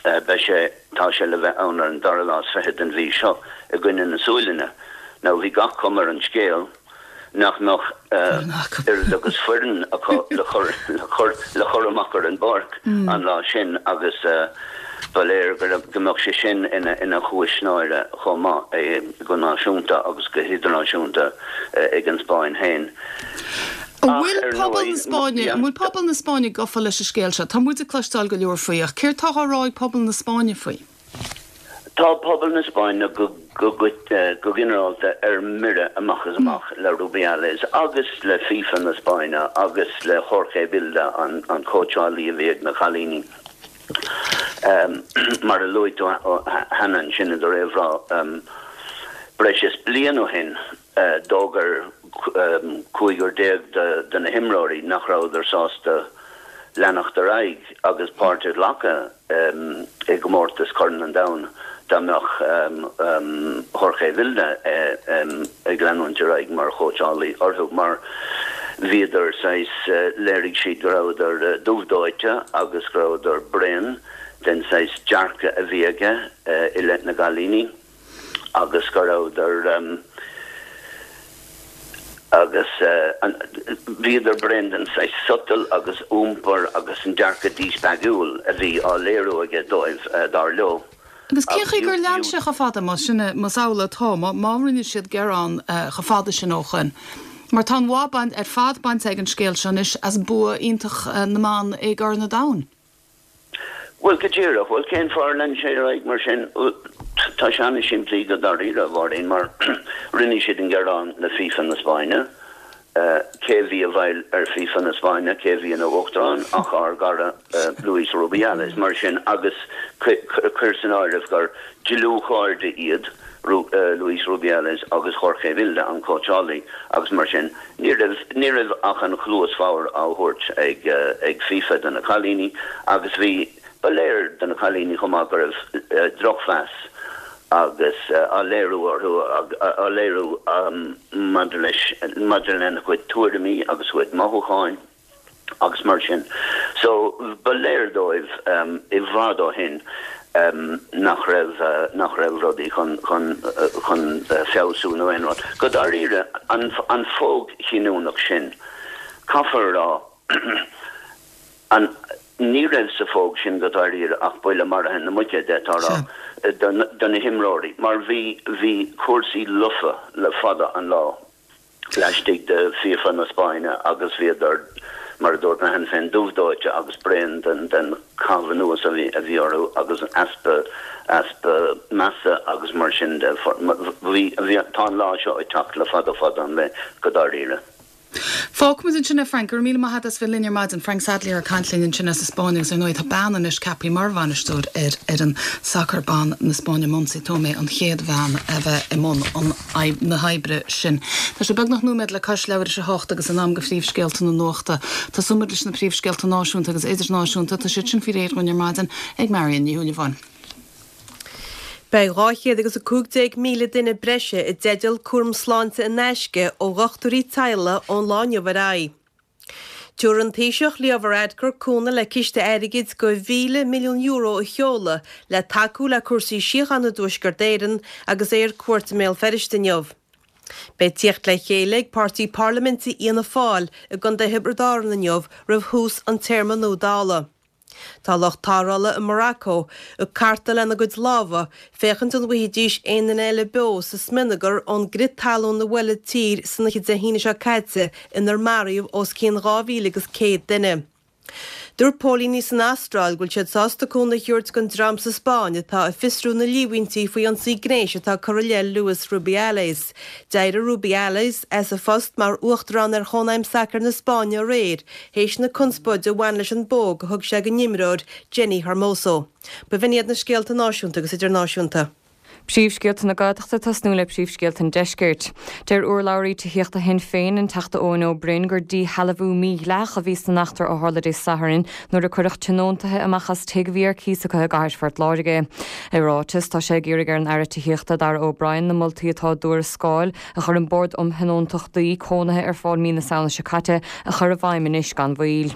uh, beidh sé tá sé le bheith ann ar an dara lá is fiche den mhí seo i gcoinne na Sualainne. Nó bhí gach cuma ar an scéal nach mbeadh oiread agus foireann acu le chur le chur le chur amach ar an bpáirc an lá sin agus uh, ba léir go mbeadh sé sin ina ina chúis náire chomh maith go náisiúnta agus go hidirnáisiúnta ag an Spáinn féin. Bhfuil pobal na Spáinne bhfuil pobal na Spáinne gafa leis an scéal seo, Tá muid ag cloisteáil go leor faoi ach céard atá á rá ag pobal na Spáinne faoi. Tá pobal na Spáinne go go go ginearálta ar mire amach is amach le Rubiales agus le FIFA na Spáinne agus le Jorge Vilda an an cóitseálaí a bhí ag na cailíní. Um, mar a luaigh tú cheana sin do réamhrá um, breis is bliain ó shin uh, d'fhógair um, cúigear déag de, de na himreoirí nach rabhadar sásta leanacht ar aghaidh agus páirt a ghlacadh um, i gcomórtas Chorn an Domhain dá mbeadh um, um, Jorge Vilda uh, um, ag leanúint ar aghaidh mar chóitseálaí orthu mar bhíodar saghas uh, léirigh siad go rabhadar uh, dubhdóite agus go rabhadar bréan den saghas dearcadh a bhí aige uh, i leith na gcailíní agus go rabhadar um, agus uh, bhíodar bréan den saghas sotal agus iompar agus an dearcadh díspeagúil a bhí á léiriú aige dóibh uh, dar leo. Agus cén chaoi gur lean sé chomh fada má sin más amhlaidh atá má rinne siad gearán chomh fada sin ó shin. Mar tá bhain ar fad bainte ag an scéal seo anois as bua iontach na mban i gCorn an Domhain. Well go díreach, well cén fáth ar lean sé ar aghaidh mar sin Tá sé an-simplí go dáiríre, a Mháirín, mar rinne siad an gearán le FIFA na Spáinne. Cé a bhí i bhfeighil ar FIFA na Spáinne, cé a bhí ina uachtarán ach ár gcara Luis Rubiales. Mar sin, agus cuir san áireamh gur dlúthchairde iad Luis Rubiales agus Jorge Vilda, an cóitseálaí, agus mar sin, ní raibh, ní raibh ach an chluas bhodhar á thabhairt ag, ag FIFA do na cailíní agus bhí, Ba léir do na cailíní chomh maith go raibh drochmheas agus á léiriú orthu, á léiriú maidir leis, maidir lena gcuid tuairimí agus a gcuid mothúcháin agus mar sin. So, ba léir dóibh i bhfad ó shin nach raibh, nach raibh rudaí chun, chun, chun feabhsú nó aon rud. Go dáiríre, an, an phóg chinniúnach sin, caithfear a rá, an, Ní raibh sa phóg sin go dáiríre ach buille maraithe na muice, d'fhéadfá a rá, do na himreoirí, mar bhí bhí cúrsaí lofa le fada an lá laistigh de FIFA na Spáinne agus bhíodar, mar a dúirt mé cheana féin, dubh dóite agus bréan den den chaitheamh anuas a bhí a bhí orthu agus easpa easpa measa agus mar sin de. Bhí bhí tá an lá seo ag teacht le fada fada an lá go dáiríre. Fágfaimid ansin é, Frank. Go raibh míle maith agat as bheith linn ar maidin. Frank Sadlier ag caint linn ansin as an Spáinn agus ar ndóigh tá bean anois ceaptha mar bhainisteoir ar fhoireann sacair ban na Spáinne, Montse Tomé, an chéad bhean a bheith i mbun na hoibre sin. Tá sé beagnach nóiméad le cois leathuair tar éis a hocht agus in am do phríomhscéalta na nuachta. Tosóimid leis na príomhscéalta náisiúnta agus idirnáisiúnta. Tá siad sin faoi réir dhúinn ar maidin ag Marion Ní Shúilleabháin. Beidh dhá chéad agus a cúig déag míle duine breise i dteideal cúram sláinte in aisce ó dhochtúirí teaghlaigh ón lá inniu ar aghaidh. Tabharfaidh an Taoiseach Leo Varadkar cúnamh le ciste airgid de mhíle milliún euro a sheoladh le tacú le cúrsaí síochána i dTuaisceart Éireann agus é ar cuairt i mBéal Feirste inniu. Beidh tíocht le chéile ag páirtí parlaiminte Fhianna Fáil i gContae Thiobraid Árann inniu roimh thús an téarma nua Dála. Tá lucht tarrthála i Morocco ag cartadh lena gcuid lámha féachaint an bhfaighidís aon duine eile beo sa smionagar ón gcrith talún a bhuail an tír san oíche Dé hAoine seo caite inar maraíodh os cionn dhá mhíle agus céad duine. Dúirt póilíní san Astráil go bhfuil siad sásta cúnamh a thabhairt don dream sa Spáinn atá ag fiosrú na líomhaintí faoi ionsaí gnéis atá curtha i leith Luis Rubiales. D'éirigh Rubiales as a phost mar uachtarán ar Chónaidhm Sacair na Spáinne aréir théis na conspóide a bhain leis an bpóg a thug sé don imreoir Jenni Hermoso. B'in iad na scéalta náisiúnta agus idirnáisiúnta. Príomhscéalta na Gaeltachta ag tosnú le príomhscéalta an Deiscirt. Deir urlabhraí tithíochta Shinn Féin, an Teachta Eoin Ó Broin, gur díshealbhú mídhleathach a bhí san eachtra a tharla Dé Sathairn nuair a cuireadh tionóntaithe amach as tigh a bhí ar cíos acu i gcathair Phort Láirge. I ráiteas, tá sé ag iarraidh ar an Aire Tithíochta Darragh O'Brien na moltaí atá i dtuarascáil a chuir an Bord um Thionóntachtaí Cónaithe ar fáil mí na Samhna seo caite a chur i bhfeidhm anois gan mhoill.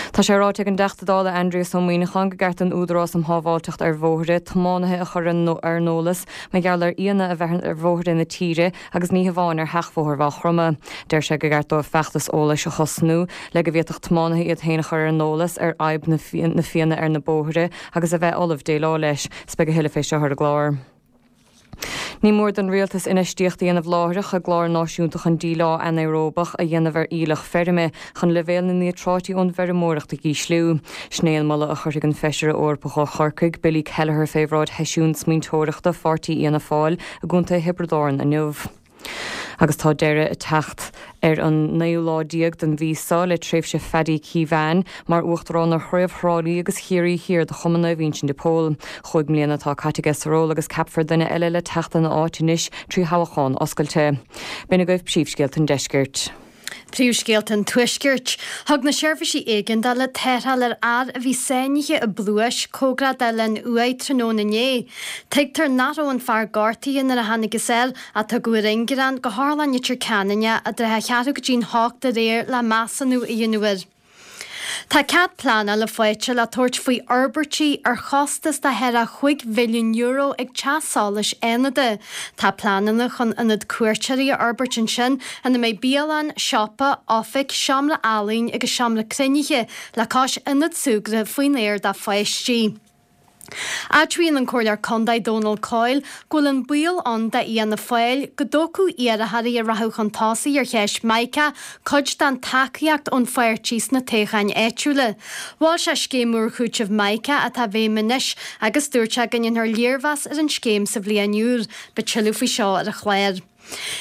Tá sé ráite ag an dTeachta Dála Aindrias Ó Muimhneacháin go gceart don Údarás um Shábháilteacht ar Bhóithre tiománaithe a chur ar an eolas mar gheall ar fhianna a bheith ar bhóithre na tíre agus ní hamháin ar sheachbhóthar Mhaigh Chromtha. Deir sé go gceart dóibh feachtas eolais a thosnú le go bhféadfadh tiománaithe iad féin a chur ar an eolas ar fhadhb na fianna ar na bóithre agus a bheith ullamh déileáil leis. 'S beidh a thuilleadh fé seo ar an gclár. Ní mór don Rialtas infheistíocht a dhéanamh láithreach i gclár náisiúnta chun díleá anaeróbach a dhéanamh ar aoileach feirme chun leibhéal na níotráití ón bhfeirmeoireacht a ísliú. Sin é an moladh a chuirfidh an Feisire Eorpach ó Chorcaigh, Billy Kelleher fé bhráid sheisiún smaointeoireachta pháirtí Fhianna Fáil i gContae Thiobraid Árann inniu. Agus tá deireadh ag teacht ar an naoú lá déag den mhí seo le tréimhse Phaddy Keevan mar Uachtarán ar Chraobh Thrá Lí agus Chiarraí Thiar de Chumann Naomh Uinseann de Pól. Chúig mbliana atá caite aige sa ról agus ceapfar duine eile le teacht ina áit anois trí thoghchán oscailte. B'in agaibh príomhscéalta an deiscirt. Príomhscéalta an Tuaiscirt. Thug na seirbhísí éigeandála tarrtháil ar fhear a bhí sáinnithe i bpluais cóngarach d'Oileán Uaighe tráthnóna inné. Tuigtear nach raibh an fear gortaithe nuair a thángthas air ach tugadh ar ingearán go hOtharlann Leitir Ceanainn é i dtrátha a cheathrú go dtí'n hocht aréir le measúnú a dhéanamh air. Tá cead pleanála faighte le tabhairt faoi fhorbairtí ar chostas de thar a chúig mhilliún euro ag Teach Solais Fhánada. Tá pleananna chun ionad cuairteoirí a fhorbairt ansin ina mbeidh bialann, siopa, oifig, seomra ealaíne agus seomra cruinnithe le cois ionad súgartha faoin aer do pháistí. Admhaíonn an Comhairleoir Contae Dónal Coyle go bhfuil an baol ann d'Fhianna Fáil go dtógfadh iarrthóirí a rachadh chun tosaigh ar cheist Mica cuid den tacaíocht ón pháirtí sna toghcháin áitiúla. Mhol sé scéim úr chúitimh Mica atá i bhfeidhm anois agus dúirt sé go ndéanfar léirmheas ar an scéim sa bhliain úr. Beidh tuilleadh faoi seo ar an chlár.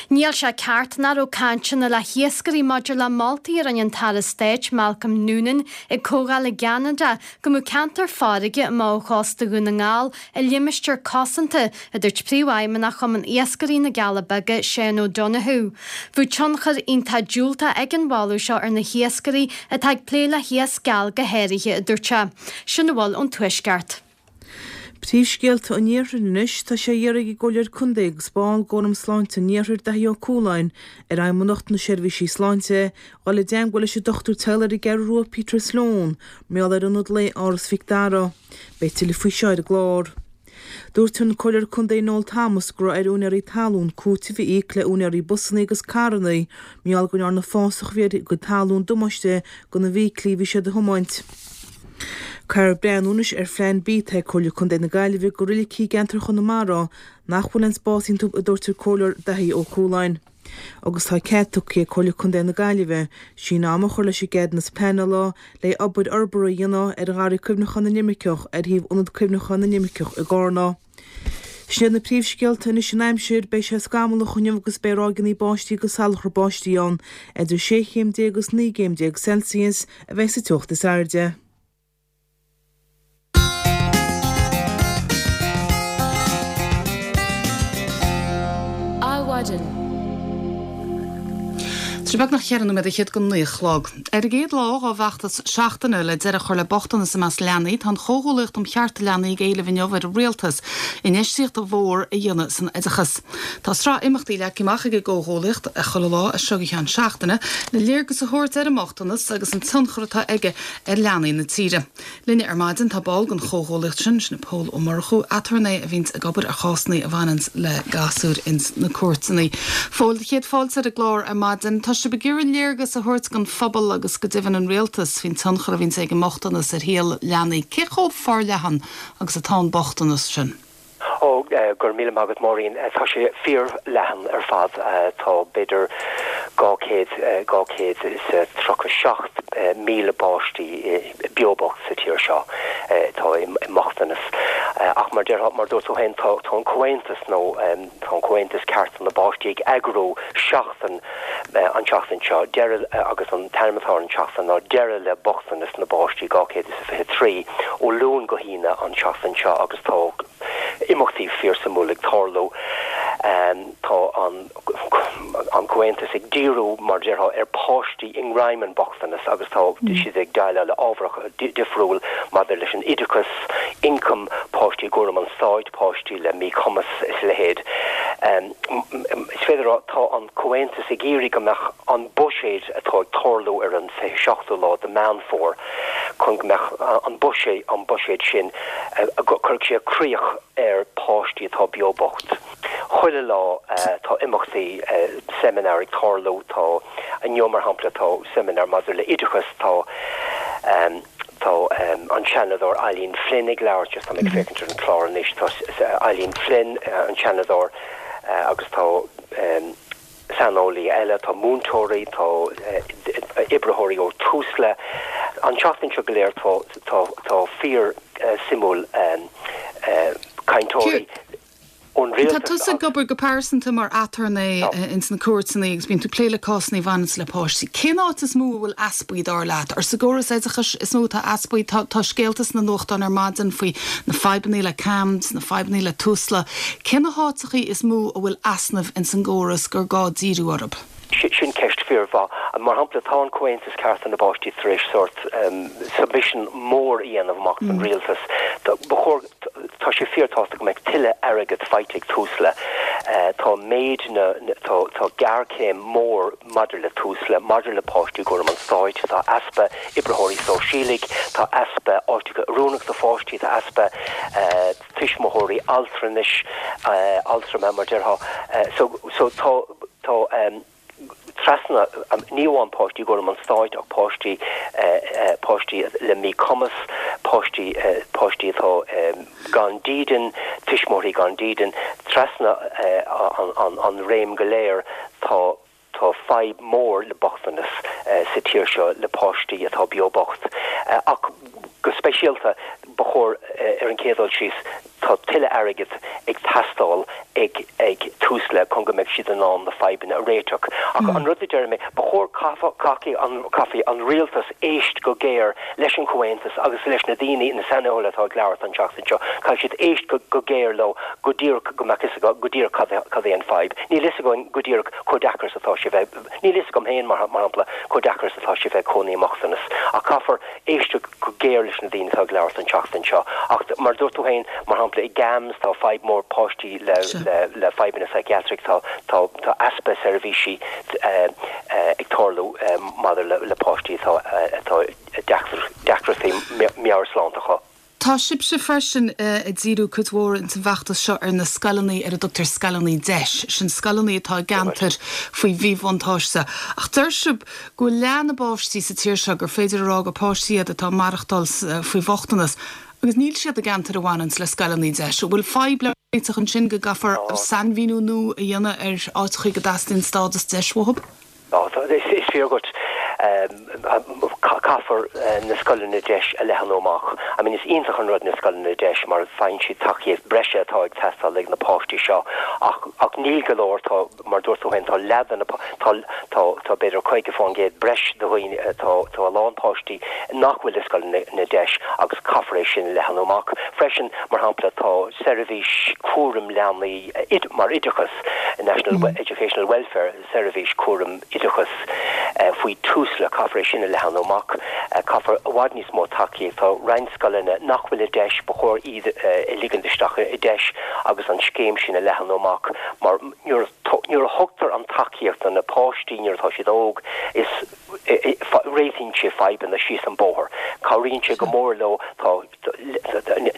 Níl sé ceart nach raibh cainteanna le hiascairí maidir le moltaí a rinne an tAire Stáit Malcolm Noonan ag comhdháil i gCeanada go mbeadh ceantar farraige amach ó chósta Dhún na nGall i limistéar cosanta, a dúirt Príomhfheidhmeannach Chumann Iascairí na gCealla Beaga, Seán O'Donoghue. Bheadh tionchar iontach diúltach ag an mholadh seo ar na hiascairí atá ag plé le hiasc geal go háirithe, a dúirt sé. Sin a bhfuil ón Tuaisceart. Príomhscéalta an Iarthair anois, tá sé á iarraidh ag an gComhairleoir Contae agus ball d'Fhóram Sláinte an Iarthair, Daithí Ó Cualáin, ar Fheidhmeannacht na Seirbhísí Sláinte, dhul i dteangmháil leis an dochtúir teaghlaigh ar an gCeathrú Rua, Peter Sloane, mar gheall ar ionad lae Áras Mhic Dara. Beidh tuilleadh faoi seo ar an gclár. Dúirt an Comhairleoir Contae Noel Thomas go raibh ar úinéirí talún cúiteamh a íoc le úinéirí busanna agus carranna mar gheall go ndearna fásach a bhí ar a gcuid talún damáiste do na bhfeithiclí a bhí siad a thiomáint. Caithfear breathnú anois ar Phlean B atá ag Comhairle Contae na Gaillimhe do roilicí i gceantar Chonamara nach bhfuil aon spás iontu, a dúirt an Comhairleoir Daithí Ó Cualáin. Agus tá cead tugtha ag Comhairle Contae na Gaillimhe síneadh ama a chur leis an gceadúnas pleanála le obair fhorbartha a dhéanamh ar Gharraí Cuimhneacháin na nImirceach ar thaobh Ionad Cuimhneacháin na nImirceach i gCarna. Sin iad na príomhscéalta anois an aimsir, beidh sé scamallach inniu agus beidh ráigeanna báistí agus salachar báistí ann. Idir sé chéim déag agus naoi gcéim déag Celsius a bheidh sa teocht is airde. Adhmhaidin. Tá sé beagnach cheithre nóiméad fhichead go naoi a chlog. Ar an gcéad lá dá bhfeachtas seachtaine le deireadh a chur le bochtanas i measc leanaí, tá an Chomhghuallaíocht um Chearta Leanaí ag éileamh inniu ar an Rialtas infheistíocht mhór a dhéanamh san oideachas. Tá sraith imeachtaí leagtha amach ag an gComhghuallaíocht chuile lá as seo go ceann seachtaine le léargas a thabhairt ar an mbochtanas agus an tionchar atá aige ar leanaí na tíre. Linne ar maidin tá ball den chomhghuallaíocht sin, sin é Pól Ó Murchú, aturnae a bhíonns ag obair ar chásanna a bhaineanns le gasúir ins na cúirteanna. Phóil, céad fáilte ar an gclár ar maidin. Tá sibh ag iarraidh léargas a thabhairt don phobal agus go deimhin an rialtas faoin tionchar a bhíonns ag an mbochtanas ar shaol leanaí. Cé chomh forleathan agus atá an bochtanas sin? Ó, go raibh míle maith agat, Máirín. Tá sé fíorleathan ar fad. Tá b'fhéidir dhá chéad, dhá chéad is tríocha seacht míle páistí beo bocht sa tír seo atá i mbochtanas. Ach mar déarfá, mar dúirt tú féin, tá an Comhaontas nó tá an Comhaontas Cearta na bPáistí ag eagrú seachtain an tseachtain seo, deireadh, agus an t-ainm atá ar an tseachtain ná Deireadh le Bochtanas na bPáistí dhá chéad is a fiche trí, ó Luan go hAoine an tseachtain seo agus tá imeachtaí fíorsuimiúil ag tarlú. Tá an an Comhaontas ag díriú, mar a déarfá, ar pháistí i ngreim an bochtanas agus tá siad ag déileáil le ábhar difriúil maidir leis an oideachas, ioncam, páistí i gcúram an stáit, páistí le míchumas is a leithéid. Is féidir a rá, tá an Comhaontas ag iarraidh go mbeadh an buiséad atá ag tarlú ar an fiche seachtú lá de Meán Fómhair, chun go mbeadh an buiséad, an buiséad sin, go gcuirfeadh sé críoch ar pháistí atá beo bocht. Chuile lá tá imeachtaí, seimineáir ag tarlú, tá, inniu mar shampla tá seimineár maidir le oideachas, tá, tá an Seanadóir Eileen Flynn ag labhairt, just tá mé ag féachaint ar an chlár anois, tá Eileen Flynn, an Seanadóir, agus tá, saineolaí eile, tá múinteoirí, tá oibritheoirí ó Tusla. An tseachtain seo go léir tá tá tá fíor suimiúil cainteoirí ón Tá rialtas tusa ag agus. obair go pearsanta mar aturnae ins na cúirteanna agus bíonn tú ag plé le cásanna a bhaineanns le páistí. Cén áit is mó a bhfuil easpaí dar leat? Ar sa gcóras oideachais is mó atá easpaí? Tá tá scéalta sna nuachtáin ar maidin faoi na fadhbanna le CAMHS, na fadhbanna le Tusla. Cé na háiteachaí is mó a bhfuil easnaimh ins an gcóras gur gá díriú orthu? Sin ceist fíormhaith. Mar shampla, tá an Comhaontas Cearta na bPáistí tar éis sórt submission mór a dhéanamh amach don rialtas. Ba chóir, tá sé fíorthábhachtach go mbeadh tuilleadh airgead faighte ag Tusla. Tá méid na, tá, tá géarchéim mór maidir le Tusla, maidir le páistí i gcúram an stáit, tá easpa oibritheoirí sóisialaigh, tá easpa áiteacha oiriúnach do pháistí, tá easpa tuismitheoirí altranais, altrama mar déarfá. So, so tá, tá Trasna, ní amháin páistí i gcúram an stáit ach páistí páistí le míchumas, páistí páistí atá gan dídean, tuismitheoirí gan dídean, trasna an an réim go léir tá tá fadhb mór le bochtanas sa tír seo le páistí atá beo bocht. Ach go speisialta ba chóir ar an chéad dul síos tá tuilleadh airgid ag teastáil ag ag Tusla chun go mbeidh siad in ann na fadhbanna a réiteach. Ach an rud a deir mé, ba chóir caithfidh an caithfidh an rialtas éist go géar leis an Chomhaontas agus leis na daoine na saineolaithe atá ag labhairt an tseachtain seo, caithfidh siad éist go go géar leo go díreach go mbeadh fhios acu go díreach cad cad é an fadhb. Níl fhios againn go díreach chomh deacair is atá sé bheith níl fhios agam féin mar mar shampla chomh deacair is atá sé bheith cónaí i mbochtanas. Ach caithfear éisteacht go géar leis na daoine atá ag labhairt an tseachtain seo. Ach mar dúirt tú féin, mar shampla i gCAMHS tá fadhb mór páistí le le le fadhbanna psychiatric tá tá tá easpa seirbhísí ag tarlú maidir le le páistí atá atá deacrachtaí meabhairshláinte acu. Tá sibhse freisin ag díriú cuid mhór ins an bhfeachtas seo ar na scoileanna ar a dtugtar scoileanna DEIS, sin scoileanna atá i gceantair faoi mhíbhuntáiste. Ach deir sibh go bhfuil leath na bpáistí sa tír seo gur féidir a rá gur páistí iad atá ag maireachtáil faoi bhochtanas, agus níl siad i gceantair a bhaineanns le scoileanna DEIS. An bhfuil fadhb le réiteach ansin go gcaithfear sainmhíniú nua a dhéanamh ar áiteachaí go dteastaíonn stádas DEIS uathu? Is fíor dhuit. Caithfear na scoileanna DEIS a leathnú amach. I mean is iontach an rud na scoileanna DEIS mar faigheann siad tacaíocht breise atá ag teastáil ag na páistí seo ach ach níl go leor tá mar dúirt tú féin tá leath de na tá tá tá b'fhéidir caoga faoin gcéad breis de dhaoine tá tá a lán páistí nach bhfuil i scoileanna DEIS agus caithfear é sin a leathnú amach. Freisin mar shampla tá seirbhís cúram leanaí mar oideachas National Educational Welfare seirbhís cúram oideachas faoi Tusla caithfear é sin a leathnú amach caithfear i bhfad níos mó tacaíocht tá roinnt scoileanna nach bhfuil i DEIS ba chóir iad a ligean isteach i DEIS agus an scéim sin a leathnú amach mar nuair a thugtar an tacaíocht do na páistí nuair atá siad óg is réitíonn sé fadhbanna síos an bóthar. Cabhraíonn sé go mór leo tá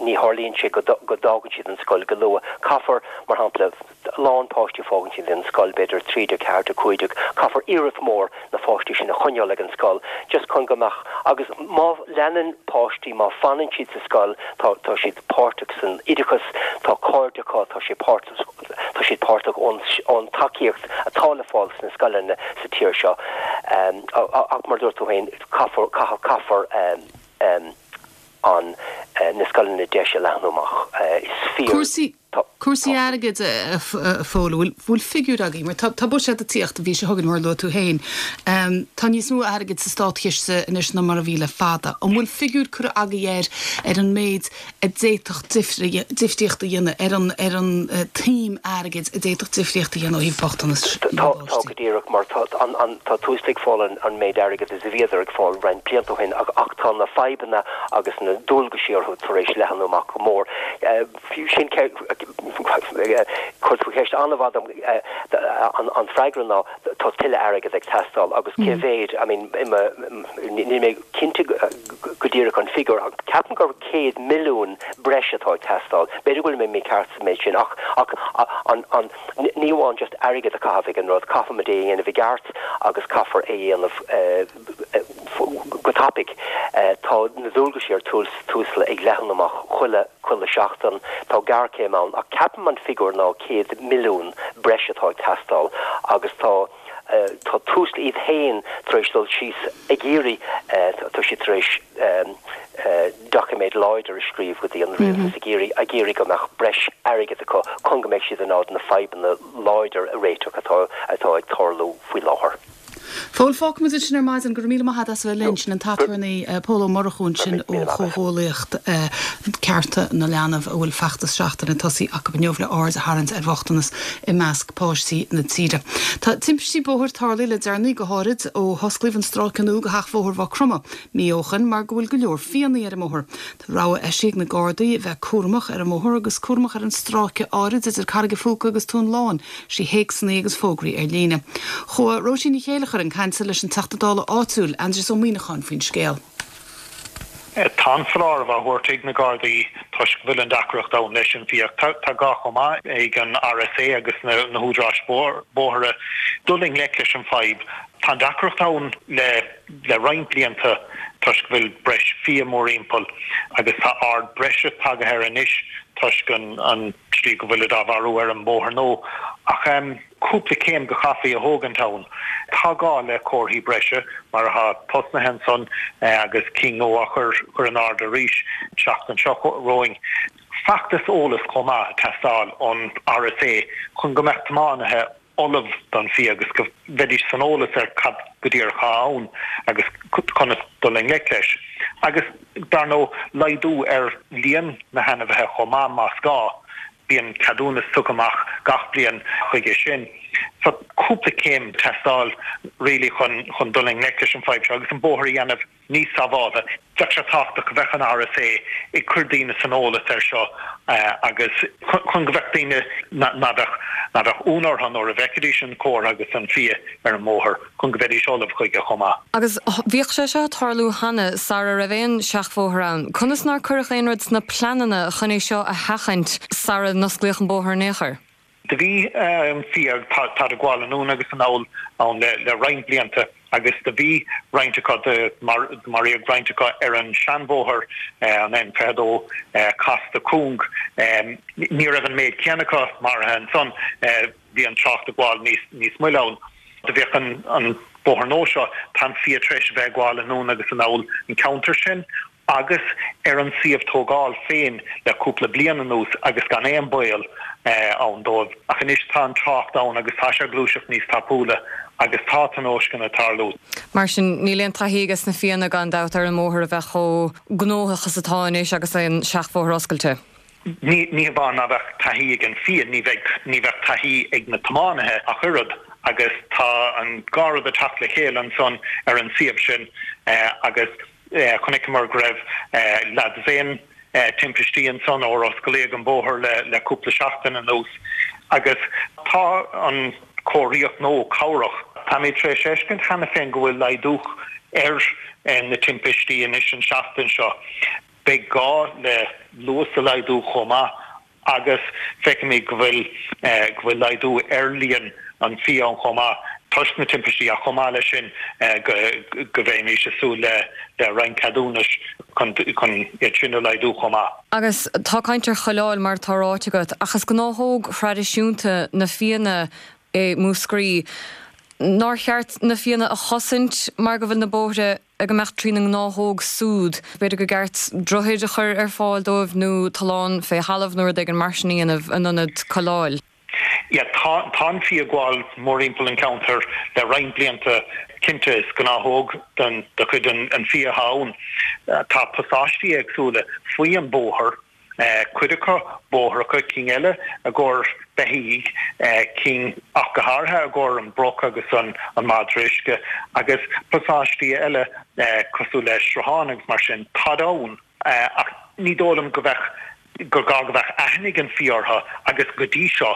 ní tharlaíonn sé go bhfágann siad an scoil go luath. Caithfear mar shampla lán páistí fágann siad an scoil b'fhéidir trí déag ceathair déag cúig déag, caithfear iarracht mór na pháistí sin a choinneáil ag an scoil just chun go mbeadh agus má leanann páistí má fanann siad sa scoil tá tá siad páirteach san oideachas, tá cairde acu, tá sé páirt tá siad páirteach ón ón tacaíocht atá le fáil sna scoileanna sa tír seo. Um, ach mar dúirt tú féin caithfear caithfear um, um, an uh, na scoileanna DEIS a leathnú amach uh, is fíor. Cúrsaí Cúrsaí airgid a Phóil bhfuil bhfuil figiúr agaibh, mar tá buiséad ag tíocht an mhí seo chugainn mar luaigh tú féin. Tá níos mó airgid sa státchiste anois ná mar a bhí le fada. An bhfuil figiúr curtha agaibh air ar an méid a d'fhéadfadh difríocht a dhéanamh ar an ar an tsuim airgid a d'fhéadfadh difríocht a dhéanamh ó thaobh bochtanas Tá tá go díreach mar tá an an tá Tusla ag fáil an an méid airgid is a bhíodar ag fáil roinnt blianta ó shin ach ach tá na fadhbanna agus na dualgaisí orthu tar éis leathnú amach go mór. Fiú sin Chuir tú ceist an-mhaith an freagra ná tá tuilleadh airgid ag teastáil agus cé mhéad I mean níl mé cinnte go díreach an figiúr ach ceapaim gur céad milliún breis atá ag teastáil. B'fhéidir go bhfuil mé mícheart sa méid sin ach ach an an ní amháin just airgead a chaitheamh ag an rud caithfimid é a dhéanamh i gceart agus caithfear é a dhéanamh go tapaidh. Tá na dualgaisí ar Tusla ag leathnú amach chuile chuile seachtain tá géarchéim ann ach ceapaim an figiúr ná céad milliún breis atá ag teastáil agus tá tá Tusla iad féin tar éis dul síos ag iarraidh tá siad tar éis doiciméad láidir a scríobh go dtí an rialtas ag iarraidh ag iarraidh go mbeadh breis airgid acu chun go mbeidh siad in ann na fadhbanna láidir a réiteach atá atá ag tarlú faoi láthair. Phóil fágfaimid sin ar maidin go raibh míle maith agat as a bheith linn sin an t-aturnae Pól Ó Murchú ansin ó Chomhghuaillíocht Cearta na Leanbh a bhfuil feachtas seachtaine tosaithe acu inniu le aird a tharraingt ar bhochtanas i measc páistí na tíre. Tá timpistí bóthair tarlaithe le deireanaí go háirid ó hosclaíodh an stráice nua go theach Bhóthar Mhaigh Chromtha mí ó shin mar go bhfuil go leor fianna ar an mbóthar. Tá rabhadh eisithe ag na Gardaí a bheith cúramach ar an mbóthar agus cúramach ar an stráice áirid idir Carraig an Phúca agus Tóin Láin trí théacsanna agus fógraí ar líne. Chuaigh Róisín Ní Chéilleachair chun cainte leis an Teachta Dála áitiúil Aindrias Ó Muimhneacháin faoin scéal. Tá an foláireamh á thabhairt ag na Gardaí toisc go bhfuil an deacracht ann leis an bhfiach. Tá gá chomh maith ag an RSA agus na húdaráis bóithre dul i ngleic leis an fadhb. Tá an deacracht ann le le roinnt blianta toisc go bhfuil breis fia mórthimpeall agus tá aird breise tagtha air anois toisc an an tslí go bhfuilid á mharú ar an mbóthar nua. Ach cúpla céim go chaithfí a thógaint ann. Tá gá le comharthaí breise mar atá tosnaithe ansan agus cinn nua á chur chur in airde arís an tseachtain seo romhainn. Feachtas eolais chomh maith ag teastáil ón RSA chun go mbeadh tiománaithe ullamh don fhia agus go mbeidís san eolas ar cad go díreach atá ann agus conas dul i ngleic leis. Agus, dar ndóigh, laghdú ar líon na hainmhithe chomh maith más gá. Bíonn ceadúnas tugtha amach gach bliain chuige sin. So, cúpla céim ag teastáil really chun chun dul i ngleic leis an fadhb seo agus an bóthar a dhéanamh níos sábháltha. Bheadh sé tábhachtach go bheadh an RSA ag cur daoine san eolas air seo agus chun go bheadh daoine ná bheadh ná bheadh ionadh orthu nuair a bhfeicfidís an comhartha agus an fia ar an mbóthar chun go mbeidís ullamh chuige chomh maith. Agus bhíodh sé seo ag tarlú cheana sara raibh aon seachbhóthar ann. Conas nár cuireadh aon rud sna pleananna chun é seo a sheachaint sara n-osclaíodh an bóthar in aon chor? Do bhí an fia, táid ag gabháil anonn agus anall ann le roinnt blianta agus do bhí roinnt acu, do maraíodh roinnt acu ar an seanbhóthar, an N fiche a dó, casta cúng. Ní raibh an méid céanna acu maraithe ansan, bhí an trácht ag gabháil níos moille ann. Do bhíodh an bóthar nua seo, tá an fia tar éis a bheith ag gabháil anonn agus anall an ceantar sin agus ar an suíomh tógáil féin le cúpla bliain anuas agus gan aon baol ann dóibh. Ach anois tá an trácht ann agus tá sé ag gluaiseacht níos tapúla agus tá tionóisceanna ag tarlú. Mar sin, níl aon taithí ages na fianna gan dabht ar an mbóthar a bheith chomh gnóthach is atá anois agus an seachbhóthar oscailte. Ní hamháin ná bheadh taithí ag an fia, ní bheidh, ní bheadh taithí ag na tiománaithe ach oiread agus tá an dhá rud ag teacht le chéile ansan ar an suíomh sin agus chonaiceamar go raibh leathdosaen timpistí ansan ó osclaíodh an bóthar le cúpla seachtain anuas agus tá an chomharthaíocht nua cabhrach. Táimid tar éis fheiscint cheana féin go bhfuil laghdú ar na timpistí anois an seachtain seo. Beidh gá le luas a laghdú chomh maith agus feicimid go bhfuil go bhfuil laghdú ar líon an fia ann chomh maith toisc na timpistí ach chomh maith leis sin go go mbeimis ag súil le le roinnt ceadúnais chun chun iad sin a laghdú chomh maith. Agus tá caint ar choileáil mar atá ráite agat ach is gnáthóg thraidisiúnta na fianna i Múscraí. Nár cheart na fianna a chosaint mar go bhfuil na bóithre ag imeacht trína ngnáthóg súd? B'fhéidir gur ceart droichid a chur ar fáil dóibh nó tollán fé thalamh nó rud éigin mar sin a dhéanamh in ionad coileáil. Yeah, tá tá an fia ag gabháil mórthimpeall an cheantair le roinnt blianta. Cinnte, is gnáthóg den de chuid an fia atá ann. Tá pasáistí éagsúla faoi an bóthar. cuid acu bóithreacha, cinn eile i gcomhair beithígh, cinn ach go háirithe i gcomhair an broc agus an madra uisce, agus pasáistí eile cosúil le srutháin agus mar sin. Táid ann, ach ní dóigh liom go bheadh, gur gá go bheadh aithne ag an fia orthu agus go dtí seo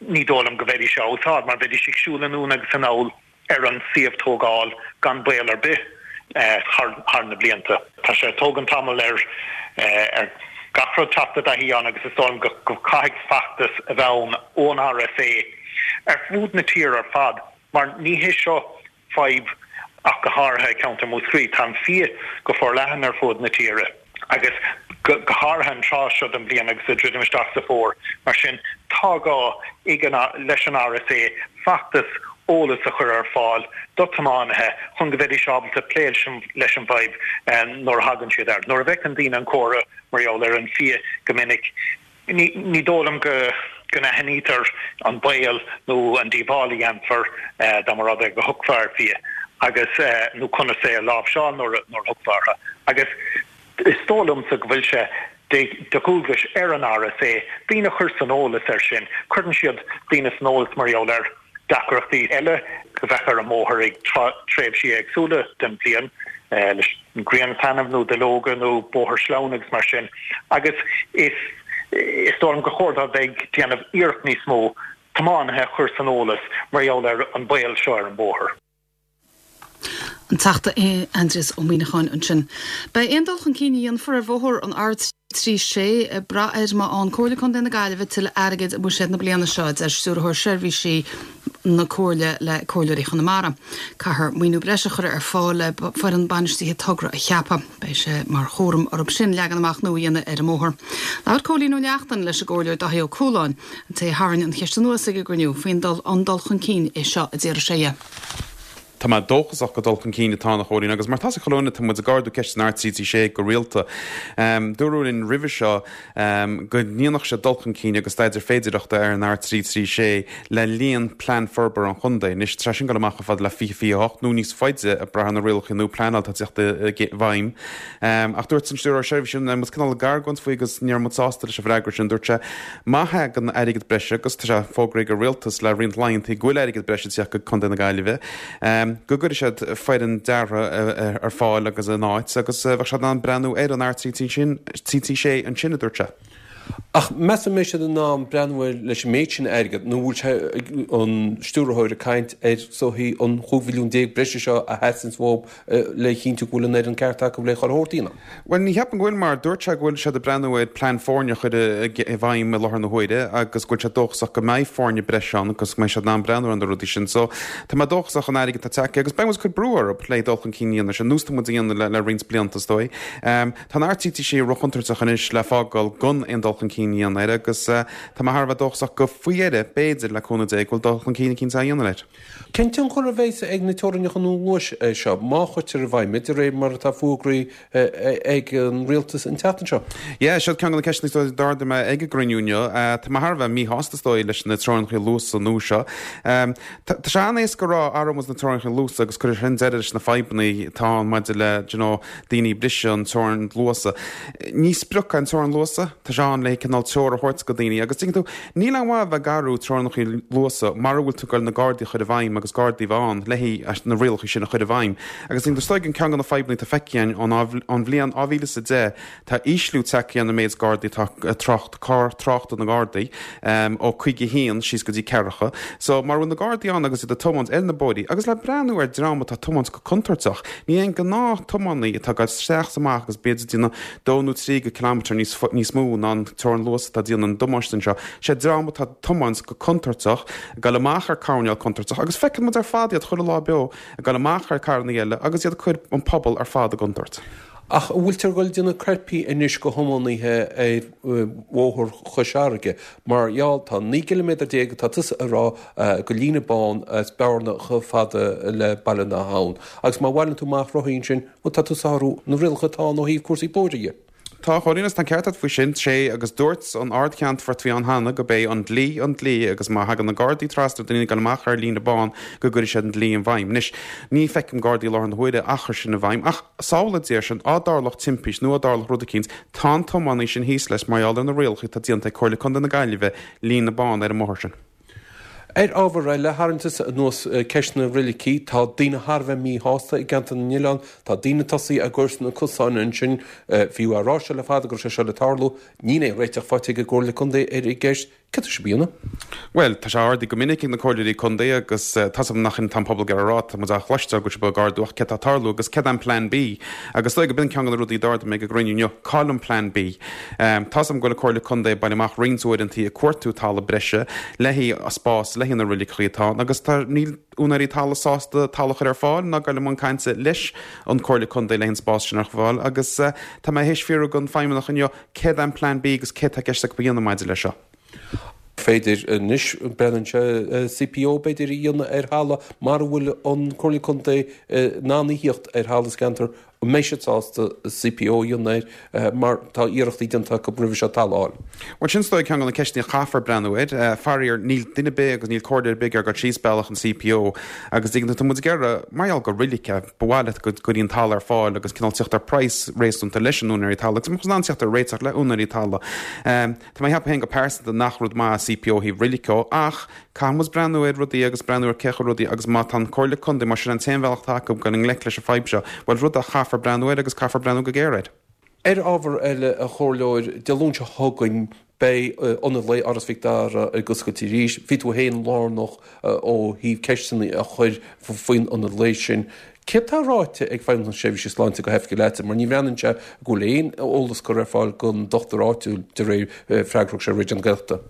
ní dóigh liom go bheidís á úsáid mar bheidís ag siúl anonn agus anall ar an suíomh tógáil gan baol ar bith thar na blianta. Tá sé ag tógaint tamall ar ar gach rud teacht i dtaithí ann agus is dóigh liom go caithfidh feachtas a bheith ann ón RSA ar fud na tíre ar fad mar ní hé seo fadhb ach go háirithe i gceantar Mhúscraí. Tá an fia go forleathan ar fud na tíre agus go háirithe an tráth seo den bhliain agus ag druidim isteach sa bhfómhar. Mar sin, tá gá ag an leis an RSA feachtas eolas a chur ar fáil do tiománaithe chun go bheidís ábalta plé leis an bhfadhb nuair a thagann siad air. Nuair a bhfeiceann daoine an comhartha mar gheall ar an fia go minic, Ní dóigh liom go n-aithnítear an baol nó an díobháil a dhéanfar dá mba rud é go thiocfá ar fhia agus, nó conas é a láimhseáil nuair a thiocfá orthu. Agus is dóigh liomsa go bhfuil sé de dhualgais ar an RSA daoine a chur san eolas air sin. Cuireann siad daoine san eolas mar gheall ar. deacrachtaí eile a bheadh ar an mbóthar ag tréimhsí éagsúla den bhliain, leis an ghrian ag taitneamh nó duilleoga nó bóthar sleamhain agus mar sin, agus is is dóigh liom gur chóir dóibh bheith ag déanamh iarracht níos mó tiománaithe a chur san eolas mar gheall ar an baol seo ar an bhóthar. An Teachta Aindrias Ó Muimhneacháin ansin. Beidh aon dul chun cinn a dhéanfar ar bhóthar an trí sé ag brath ar má fhaigheann Comhairle Contae na Gaillimhe tuilleadh airgid i mbuiséad na bliana seo, a deir Stiúrthóir Seirbhísí na Comhairle le Comhairleoirí Chonamara. Caithfear maoiniú breise a chur ar fáil le foireann bainistithe togra a cheapadh. Beidh sé mar chúram orthu sin leagan amach nua a dhéanamh ar an mbóthar. Labhair Cóilín Ó Neachtain leis an gComhairleoir Dáithí Ó Cualáin, an té a tharraing an cheist anuas ag an gcruinniú faoin dul an dul chun cinn é seo a d'iarr sé dhe. Tá mé dóchasach go dul chun cinn atá ann a Chóilín agus mar tá a fhios agat tá muid ag ardú ceist an R trí trí sé go rialta. Dúradh linn roimhe seo go ndéanfadh sé dul chun cinn agus staidéar féidireachta ar an R trí trí sé le linn plean forbartha an chontae. Anois tá sin ag dul amach chomh fada le fiche fiche hocht nó níos faide ag brath ar na rialacha nua pleanála atá ag teacht i bhfeidhm. Ach dúirt an Stiúrthóir Seirbhísí muid cineál ag argóint faoi agus ní raibh muid sásta leis an bhfreagra sin. Dúirt sé má thagann airgead breise agus tá sé fógraithe ag an rialtas le roinnt laethanta go bhfuil airgead breise ag teacht go Contae na Gaillimhe. Go gcuirfidh siad foireann deartha ar fáil agus in áit agus bheadh siad in ann breathnú ar an R trí trí sé ansin, a dúirt sé. Ach meas tú an mbeidh siad in ann breathnú air leis an méid sin airgid nó bhfuil sé an stiúrthóir ag caint ar is dóichí an chúig mhilliún déag breise seo a theastaíonns uathu le chinntiú go bhfuil an fhoireann ceart acu le chur a dhéanamh? Bhuel, ní cheapaim go bhfuil mar dúirt sé go bhfuil siad ag breathnú ar plean foirne a chur i bhfeidhm i láthair na huaire agus go bhfuil sé dóchasach go mbeidh foirne breise ann agus go mbeidh siad in ann breathnú ar na rudaí sin. So tá mé dóchasach an airgead atá tagtha agus beidh muid ag cur brú orthu le dul chun cinn a dhéanamh ar nós tá muid a dhéanamh le, le roinnt blianta is dóigh. Um, tá an R trí trí sé róchontúirteach anois le fágáil gan aon dul chun cinn a dhéanamh air agus uh, tá mé thar a bheith dóchasach go faoi dheireadh b'fhéidir le cúnamh Dé go bhfuil dul chun cinn eicínt á dhéanamh air. Cén tionchar a bheas ag na teorainneacha nua luais seo, má chuirtear i bhfeidhm iad, de réir mar atá fógraithe ag an rialtas an tseachtain seo? Yeah, seo ceann de na ceisteanna a d'ardaigh mé ag an gcruinniú inniu. Tá mé thar a bheith míshásta is dóigh leis na teorainneacha luasa nua seo. Tá sé an-éasca a rá athróidh muid na teorainneacha luasa agus cuirfidh sin deireadh leis na fadhbanna atá ann maidir le you know, daoine ag briseadh an teorainn luasa. Ní sprioc é an teorainn luasa, tá sé ann le cineál treoir a thabhairt go daoine agus tuigeann tú, níl aon mhaith a bheith ag athrú teorainneacha luasa mara bhfuil tú ag goil na Gardaí a chur i bhfeidhm agus Gardaí a bheith ann le haghaidh na rialacha sin a chur i bhfeidhm. Agus is dóigh an ceann de na fadhbanna atá feicthe againn ón bhliain dhá mhíle is a deich, tá ísliú tagtha ar an méid Gardaí atá ag trácht, carr tráchta na nGardaí, ó caoga a haon síos go dtí ceathracha. So mara bhfuil na Gardaí ann agus iad ag tiomáint ar na bóithrí, agus le breathnú ar dream atá ag tiomáint go contúirteach, ní aon gnáth-tiománaí atá ag dul isteach is amach agus b'fhéidir ag déanamh dó nó trí go ciliméadar níos níos mó ná an teorainn luasa atá ag déanamh an damáiste anseo. Sé dream atá ag tiomáint go contúirteach, ag dul amach ar coirnéal contúirteach agus feiceann muid ar fad iad chuile lá beo ag dul amach ar carranna eile agus iad ag cur an pobal ar fad i gcontúirt. Ach an bhfuiltear ag dul déanamh coirpí anois go thiománaithe ar bhóthar Chois Fharraige? Mar gheall, tá naoi gciliméadar déag atá tusa a rá go líne bán as Bearna chomh fada le Baile na hAbhann. Agus má bhaileann tú amach rothaí ansin, bhuel tá tú ag sárú na rialacha atá ann ó thaobh cúrsaí bóithre dhe. Tá, a Chóilín, agus tá an ceart agat faoi sin, sé, agus dúirt an Ard-Cheannfort a bhí ann cheana go b'é an dlí an dlí agus má thagann na Gardaí trasna ar daoine ag dul amach ar líne bán go gcuirfidh siad an dlí i bhfeidhm. Anois, ní feicim Gardaí i láthair na huaire a chur sin i bhfeidhm ach samhlaigh a deir sin, á dtarlódh timpist nó á dtarlódh rud eicínt, tá an tiománaí sin thíos leis mar gheall ar na rialacha atá déanta ag Comhairle Contae na Gaillimhe, líne bán ar an mbóthar sin. Ar ábhar eile, tharraing tusa anuas ceist na roilicí. Tá daoine thar a bheith míshásta i gCeantar na nOileán. Tá daoine tosaithe ag cur sna cosáin ansin. Bhí á rá seo le fada go raibh sé seo le tarlú. Níl aon réiteach faighte ag an gComhairle Contae ar an gceist. Céard tá sibh a dhéanamh? Bhuel, tá sé ardaithe go minic ag na comhairleoirí contae agus tá 's agam nach in atá an pobal ag iarraidh a rá, tá muid á chloisteáil go bhfuil sibh ag ardú ach céard tá ag tarlú agus céard é an Plean B? Agus is dóigh go b'in ceann de na rudaí a d'ardaigh mé ag an gcruinniú inniu, cá bhfuil an Plean B? Tá 's agam go bhfuil an Comhairle Contae ag baile amach roinnt uaireantaí ag cuartú talamh breise le haghaidh spás le haghaidh na roiliceacha atá ann agus tá níl úinéirí talaimh sásta talamh a chur ar fáil ná dul i mbun cainte leis an Comhairle Contae le haghaidh an spás sin a chur ar fáil agus tá mé théis fiafraí den feidhmeannach inniu céard é an Plean B agus céard tá i gceist acu a dhéanamh maidir leis seo. Féidir anois, breathnaíonn sé C P O b'fhéidir a dhéanamh ar thalamh mara bhfuil an Comhairle Contae in ann a thíocht ar thalamh sa gceantar An mbeidh siad sásta C P O a dhéanamh air mar tá iarrachtaí déanta acu roimhe seo talamh a fháil? Bhuel, sin is dóigh ceann de na ceisteanna a chaithfear breathnú air. Faraor, níl duine ar bith agus níl comhairle ar bith ag iarraidh dul síos bealach an C P O agus tuigeann tú, tá muid ag iarraidh, mar gheall gur roilig é, ba mhaith leat go gcuirfí an talamh ar fáil agus cineál teacht ar praghas réasúnta leis an úinéirí talaimh agus muid in ann teacht ar réiteach le úinéirí talaimh. Tá mé ag ceapadh féin go pearsanta nach rud maith é C P O ó thaobh roilig de ach caithfidh muid breathnú ar rudaí agus breathnú ar cé chomh rudaí agus má tá an Comhairle Contae, más sin an t-aon bhealach atá acu dul i ngleic leis an fadhb seo, bhuel, rud a chaithfear breathnú air agus caithfear breathnú go géar air. Ar ábhar eile, a Chomhairleoir, Dé Luain seo chugainn beidh Ionad Lae Áras Mhic Dara ag oscailt arís. Bhí tú féin lárnach ó thaobh ceisteanna a chur faoin Ionad Lae sin. Céard tá ráite ag Feidhmeannas na Seirbhíse Sláinte go hoifigiúil leatsa, mar ní bhreathnaíonn sé go bhfuil aon eolas curtha ar fáil don dochtúir áitiúil de réir freagra a thug sé Raidió na Gaeltachta.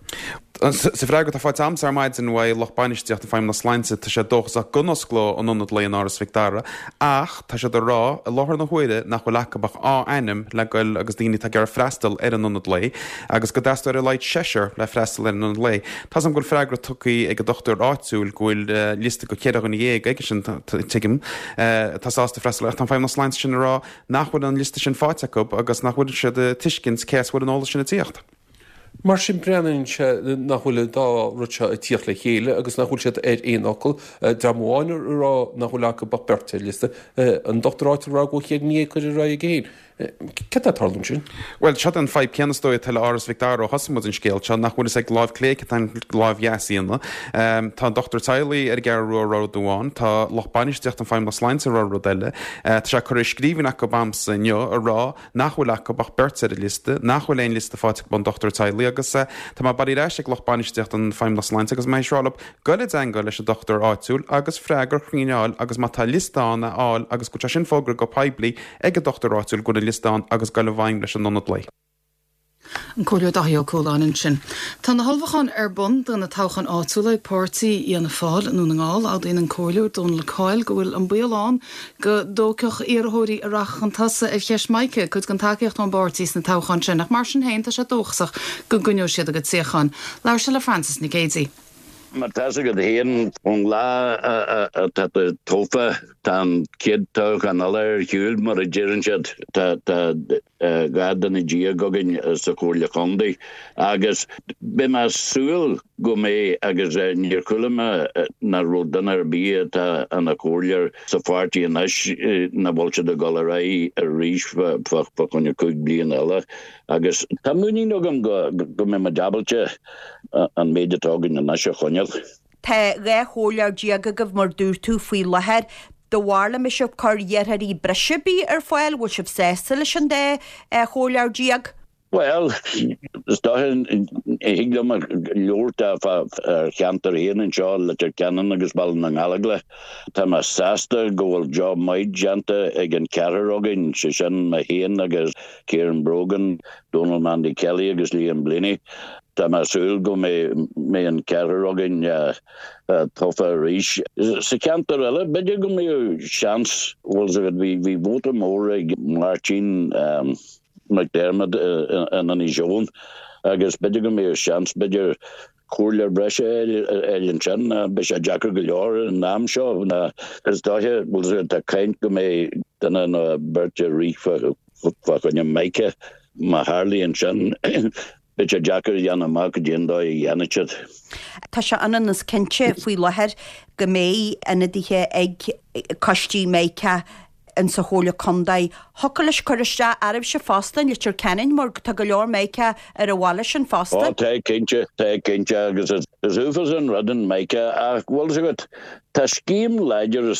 Sa bhfreagra atá faighte agamsa ar maidin uaidh lucht bainistíochta Feidhmeannas Sláinte, tá sé dóchasach go n-osclóidh an Ionad Lae in Áras Mhic Dara ach tá siad ag rá i láthair na huaire nach bhfuil acu ach dhá ainm le goil agus daoine atá ag iarraidh freastal ar an Ionad Lae agus go dteastóidh ar a laghad seisear le freastal ar an Ionad Lae. Tá's agam go bhfuil freagra tugtha ag an dochtúir áitiúil go bhfuil liosta de cheithre dhuine dhéag aigesean, tuigim, atá sásta freastal ach tá an Feidhmeannas Sláinte sin ag rá nach bhfuil an liosta sin faighte acu agus nach bhfuil siad ag tuiscint cé as a bhfuil an eolas sin ag tíocht. Mar sin, breathnaíonn sé nach bhfuil an dá rud seo ag tíocht le chéile agus nach bhfuil siad ar aon fhocal. Dream amháin ag rá nach bhfuil acu ach beirt ar liosta, an dochtúir áitiúil ag rá go bhfuil ceithre dhuine dhéag curtha ar aghaidh aige féin. Céard atá ag tarlú ansin? Bhuel, seo an fadhb céanna is dóigh atá le Áras Mhic Dara ó thosaigh muid an scéal seo, nach bhfuil fhios ag láimh clé céard atá an láimh dheas a dhéanamh. Tá an dochtúir teaghlaigh ar an gCeathrú Rua ag rá rud amháin, tá lucht bainistíochta an Feidhmeannas Sláinte ag rá rud eile. Tá sé curtha i scríbhinn acu a'msa inniu ag rá nach bhfuil acu ach beirt ar an liosta, nach bhfuil aon liosta faighte acu ón dochtúir teaghlaigh agus tá mé bailithe ar ais ag lucht bainistíochta an Feidhmeannas Sláinte agus mé ag rá leo goil i dteangmháil leis an dochtúir áitiúil agus freagra cruinn a fháil agus má tá liosta ann a fháil agus go bhfuil sé sin fógartha go poiblí ag an dochtúir áitiúil go bhfuil an liosta ann agus goil i bhfeidhm leis an ionad lae. An Comhairleoir Dáithí Ó Cualáin ansin. Tá na hullmhúcháin ar bun do na toghcháin áitiúla ag páirtí Fhianna Fáil i nDún na nGall. Admhaíonn an Comhairleoir Dónal Coyle go bhfuil an baol ann go dtógfadh iarrthóirí a rachadh chun tosaigh ar cheist Micah cuid den tacaíocht ón bpáirtí sna toghcháin sin ach mar sin féin tá sé dóchasach go gcoinneoidh siad a gcuid suíochán. Labhair sé le Frances Nic Géadaigh. Mar tá's agat féin, ón lá atá tú tofa, tá an chéad toghchán eile ar shiúl, mar a deireann siad. Tá dhá duine déag againn sa Chomhairle Chontae agus beidh mé ag súil go mbeidh, agus níor chuala mé nach raibh duine ar bith atá ina chomhairleoir sa pháirtí anois nach bhfuil siad ag dul ar aghaidh arís fá choinne cúig bliana eile. Agus tá muinín agam go mbeidh muid ábalta an méid atá againn anois a choinneáil. Tá dhá chomhairleoir déag agaibh mar dúirt tú faoi láthair. Do bharr le mbeidh sibh ag cur iarrthóirí breise ar bith ar fáil, bhfuil sibh sásta leis an dá chomhairleoir déag? Bhuel, is dócha, thig liom labhairt fá cheantar féin anseo, Leitir Ceanainn agus Baile na nGallóglach. Tá mé sásta go bhfuil job maith déanta ag an ceathrar againn, sé sin mé féin agus Kieran Brogan, Donal Mandy Kelly agus Liam Blaney. Tá mé ag súil go mbeidh an ceathrar againn tofa arís. Sa cheantar eile, b'fhéidir go mbeadh seans, bhfuil fhios agat, bhí vóta mór ag Máirtín McDermott in Inis Eoghain agus b'fhéidir go mbeadh seans, b'fhéidir, comhairleoir breise a fháil ansin. Beidh sé deacair go leor an am seo. Is dóiche, bhfuil fhios agat, tá caint go mbeidh duine nó beirt ag rith fá choinne Micah. Má tharlaíonn sin, beidh sé deacair a dhéanamh amach cad é an dóigh a dhéanfaidh siad. Tá sé ionann is cinnte faoi láthair go mbeidh ionadaithe ag coistí Micah in sa Chomhairle Contae. Thiocfadh leis cur isteach oraibhse fosta in Leitir Ceanainn mar tá go leor Micah ar an bhaile sin fosta. Ó tá cinnte, tá cinnte agus is uafásach an rud an Micah ach bhfuil fhios agat, tá scéim láidir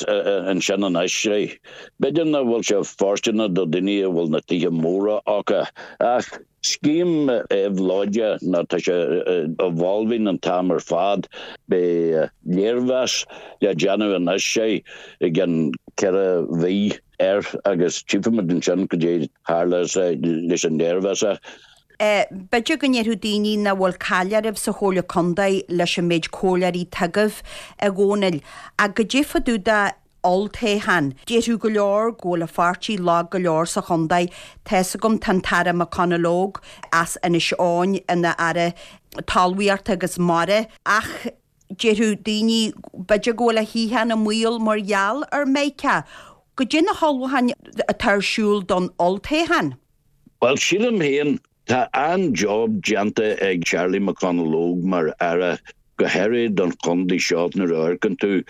ansin anois, b'fhéidir nach bhfuil sé fóirsteanach do daoine a bhfuil na tithe móra acu ach scéim éabhlóideach nó tá sé evolving an t-am ar fad. Beidh léirmheas le déanamh anois i gceann ceithre mhí air agus tchífimid ansin cad é tharla leis an léirmheas. B'fhéidir go ndéarfadh daoine nach bhfuil caill oraibh sa Chomhairle Contae leis an méid comhairleoirí atá agaibh, a Dhónaill, ach goidé fá dtaobh de olltoghchán. Déarfadh go leor go bhfuil an pháirtí lag go leor sa chontae. Tá's agam tá an tAire McConalogue as Inis Eoghain ina Aire Talmhaíochta agus Mara ach déarfadh daoine b'fhéidir go bhfuil a shuíochán i mbaol mar gheall ar Micah. Goidé na hullmhúcháin atá ar siúl don olltoghchán? Bhuel, sílim féin, tá an-job déanta ag Charlie McConalogue mar Aire, go háirithe don chontae seo nuair a amharcann tú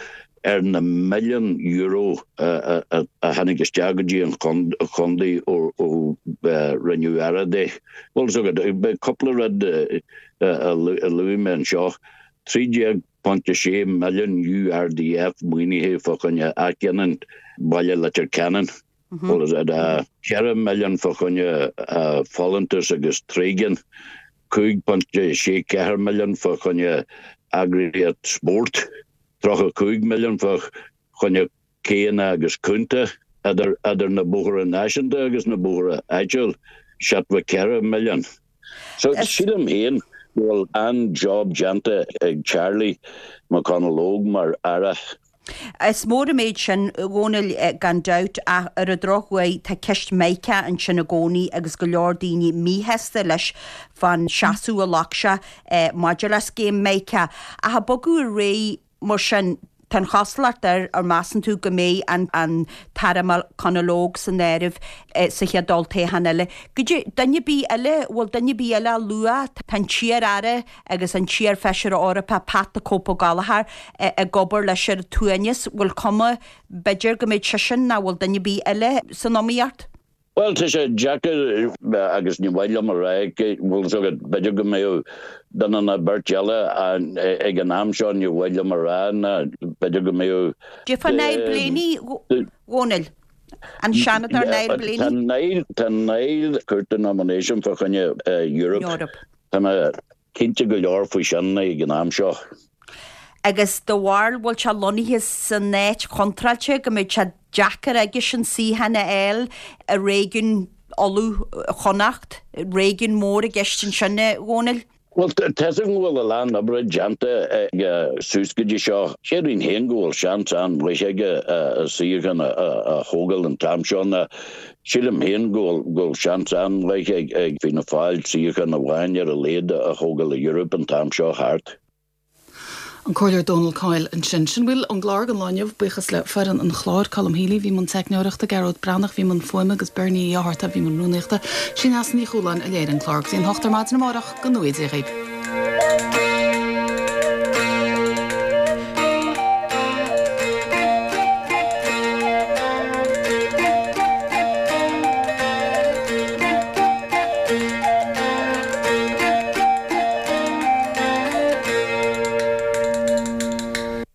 ar na milliúin euro a tháinig isteach go dtí an chontae ó rinneadh Aire de. Bhuel, so beidh cúpla rud a luaigh mé anseo, trí déag ponc a sé milliún URDF maoinithe fá choinne athghiniúint baile Leitir Ceanainn. Bhuel is ea, ceithre milliún fá choinne folúntas agus tréigean, cúig pointe sé ceathair milliún fá choinne eagraíocht spóirt, tríocha cúig milliún fá choinne céanna agus cúnta idir idir na bóithre náisiúnta agus na bóithre áitiúil, seachtó ceithre milliún. So sílim féin go bhfuil an-job déanta ag Charlie McConalogue mar Aire. Is mór an méid sin, a Dhónaill, gan dabht, ach ar an drochuair tá ceist Micah ansin i gcónaí agus go leor daoine míshásta leis fán seasamh a ghlac sé maidir le scéim Micah. Ach ag bogadh ar aghaidh mar sin, tá an chosúlacht air, ar measann tú go mbeidh an an tAire McConalogue san áireamh sa chéad olltoghchán eile? Goidé, duine ar bith eile, bhfuil duine ar bith eile á lua? Tá an t-iar-aire agus an t-iar-Fheisire Eorpach Pat the Cope Ó Gallchóir ag obair leis ar an tsuaimhneas. Bhfuil cuma, b'fhéidir, go mbeidh seisean nó bhfuil duine ar bith eile san iomaíocht? Bhuel, tá sé deacair agus ní mhaith liom a rá, bhfuil fhios agat, b'fhéidir go mbeadh duine nó beirt eile ag an am seo, ní mhaith liom a rá ná b'fhéidir go mbeadh. Cad fá Niall Blaney, a Dhónaill? An Seanadóir Niall Blaney? Tá Niall, tá Niall curtha nomination fá choinne Europe. Tá mé cinnte go leor faoi sin ag an am seo. Agus do bharúil bhfuil sé lonnaithe san áit chontráilte go mbeidh sé deacair aigesean suíochán a fháil i réigiún Uladh Chonnacht, réigiún mór i gceist ansin, a Dhónaill? Bhuel, tá fhios agam go bhfuil a lán oibre déanta aige suas go dtí seo. Déarfainn féin go bhfuil seans an-mhaith aige a suíochán a thógáil an t-am seo ná sílim féin go bhfuil seans an-mhaith ag Fianna Fáil suíochán amháin ar a laghad a thógáil i Europe an t-am seo thart. An Comhairleoir Dónal Coyle ansin. Sin a bhfuil ón gclár don lá inniu. Buíochas le foireann an chláir, Colm Healy, bhí i mbun teicneoireachta, Gearóid Breathnach, bhí i mbun fuaime agus Bernie Uí Fhátharta, bhí i mbun rúnaíochta. Sí Neasa Ní Chualáin a léirigh an clár. Go dtí an hocht ar maidin amárach, go ngnóthaí Dia dhaoibh.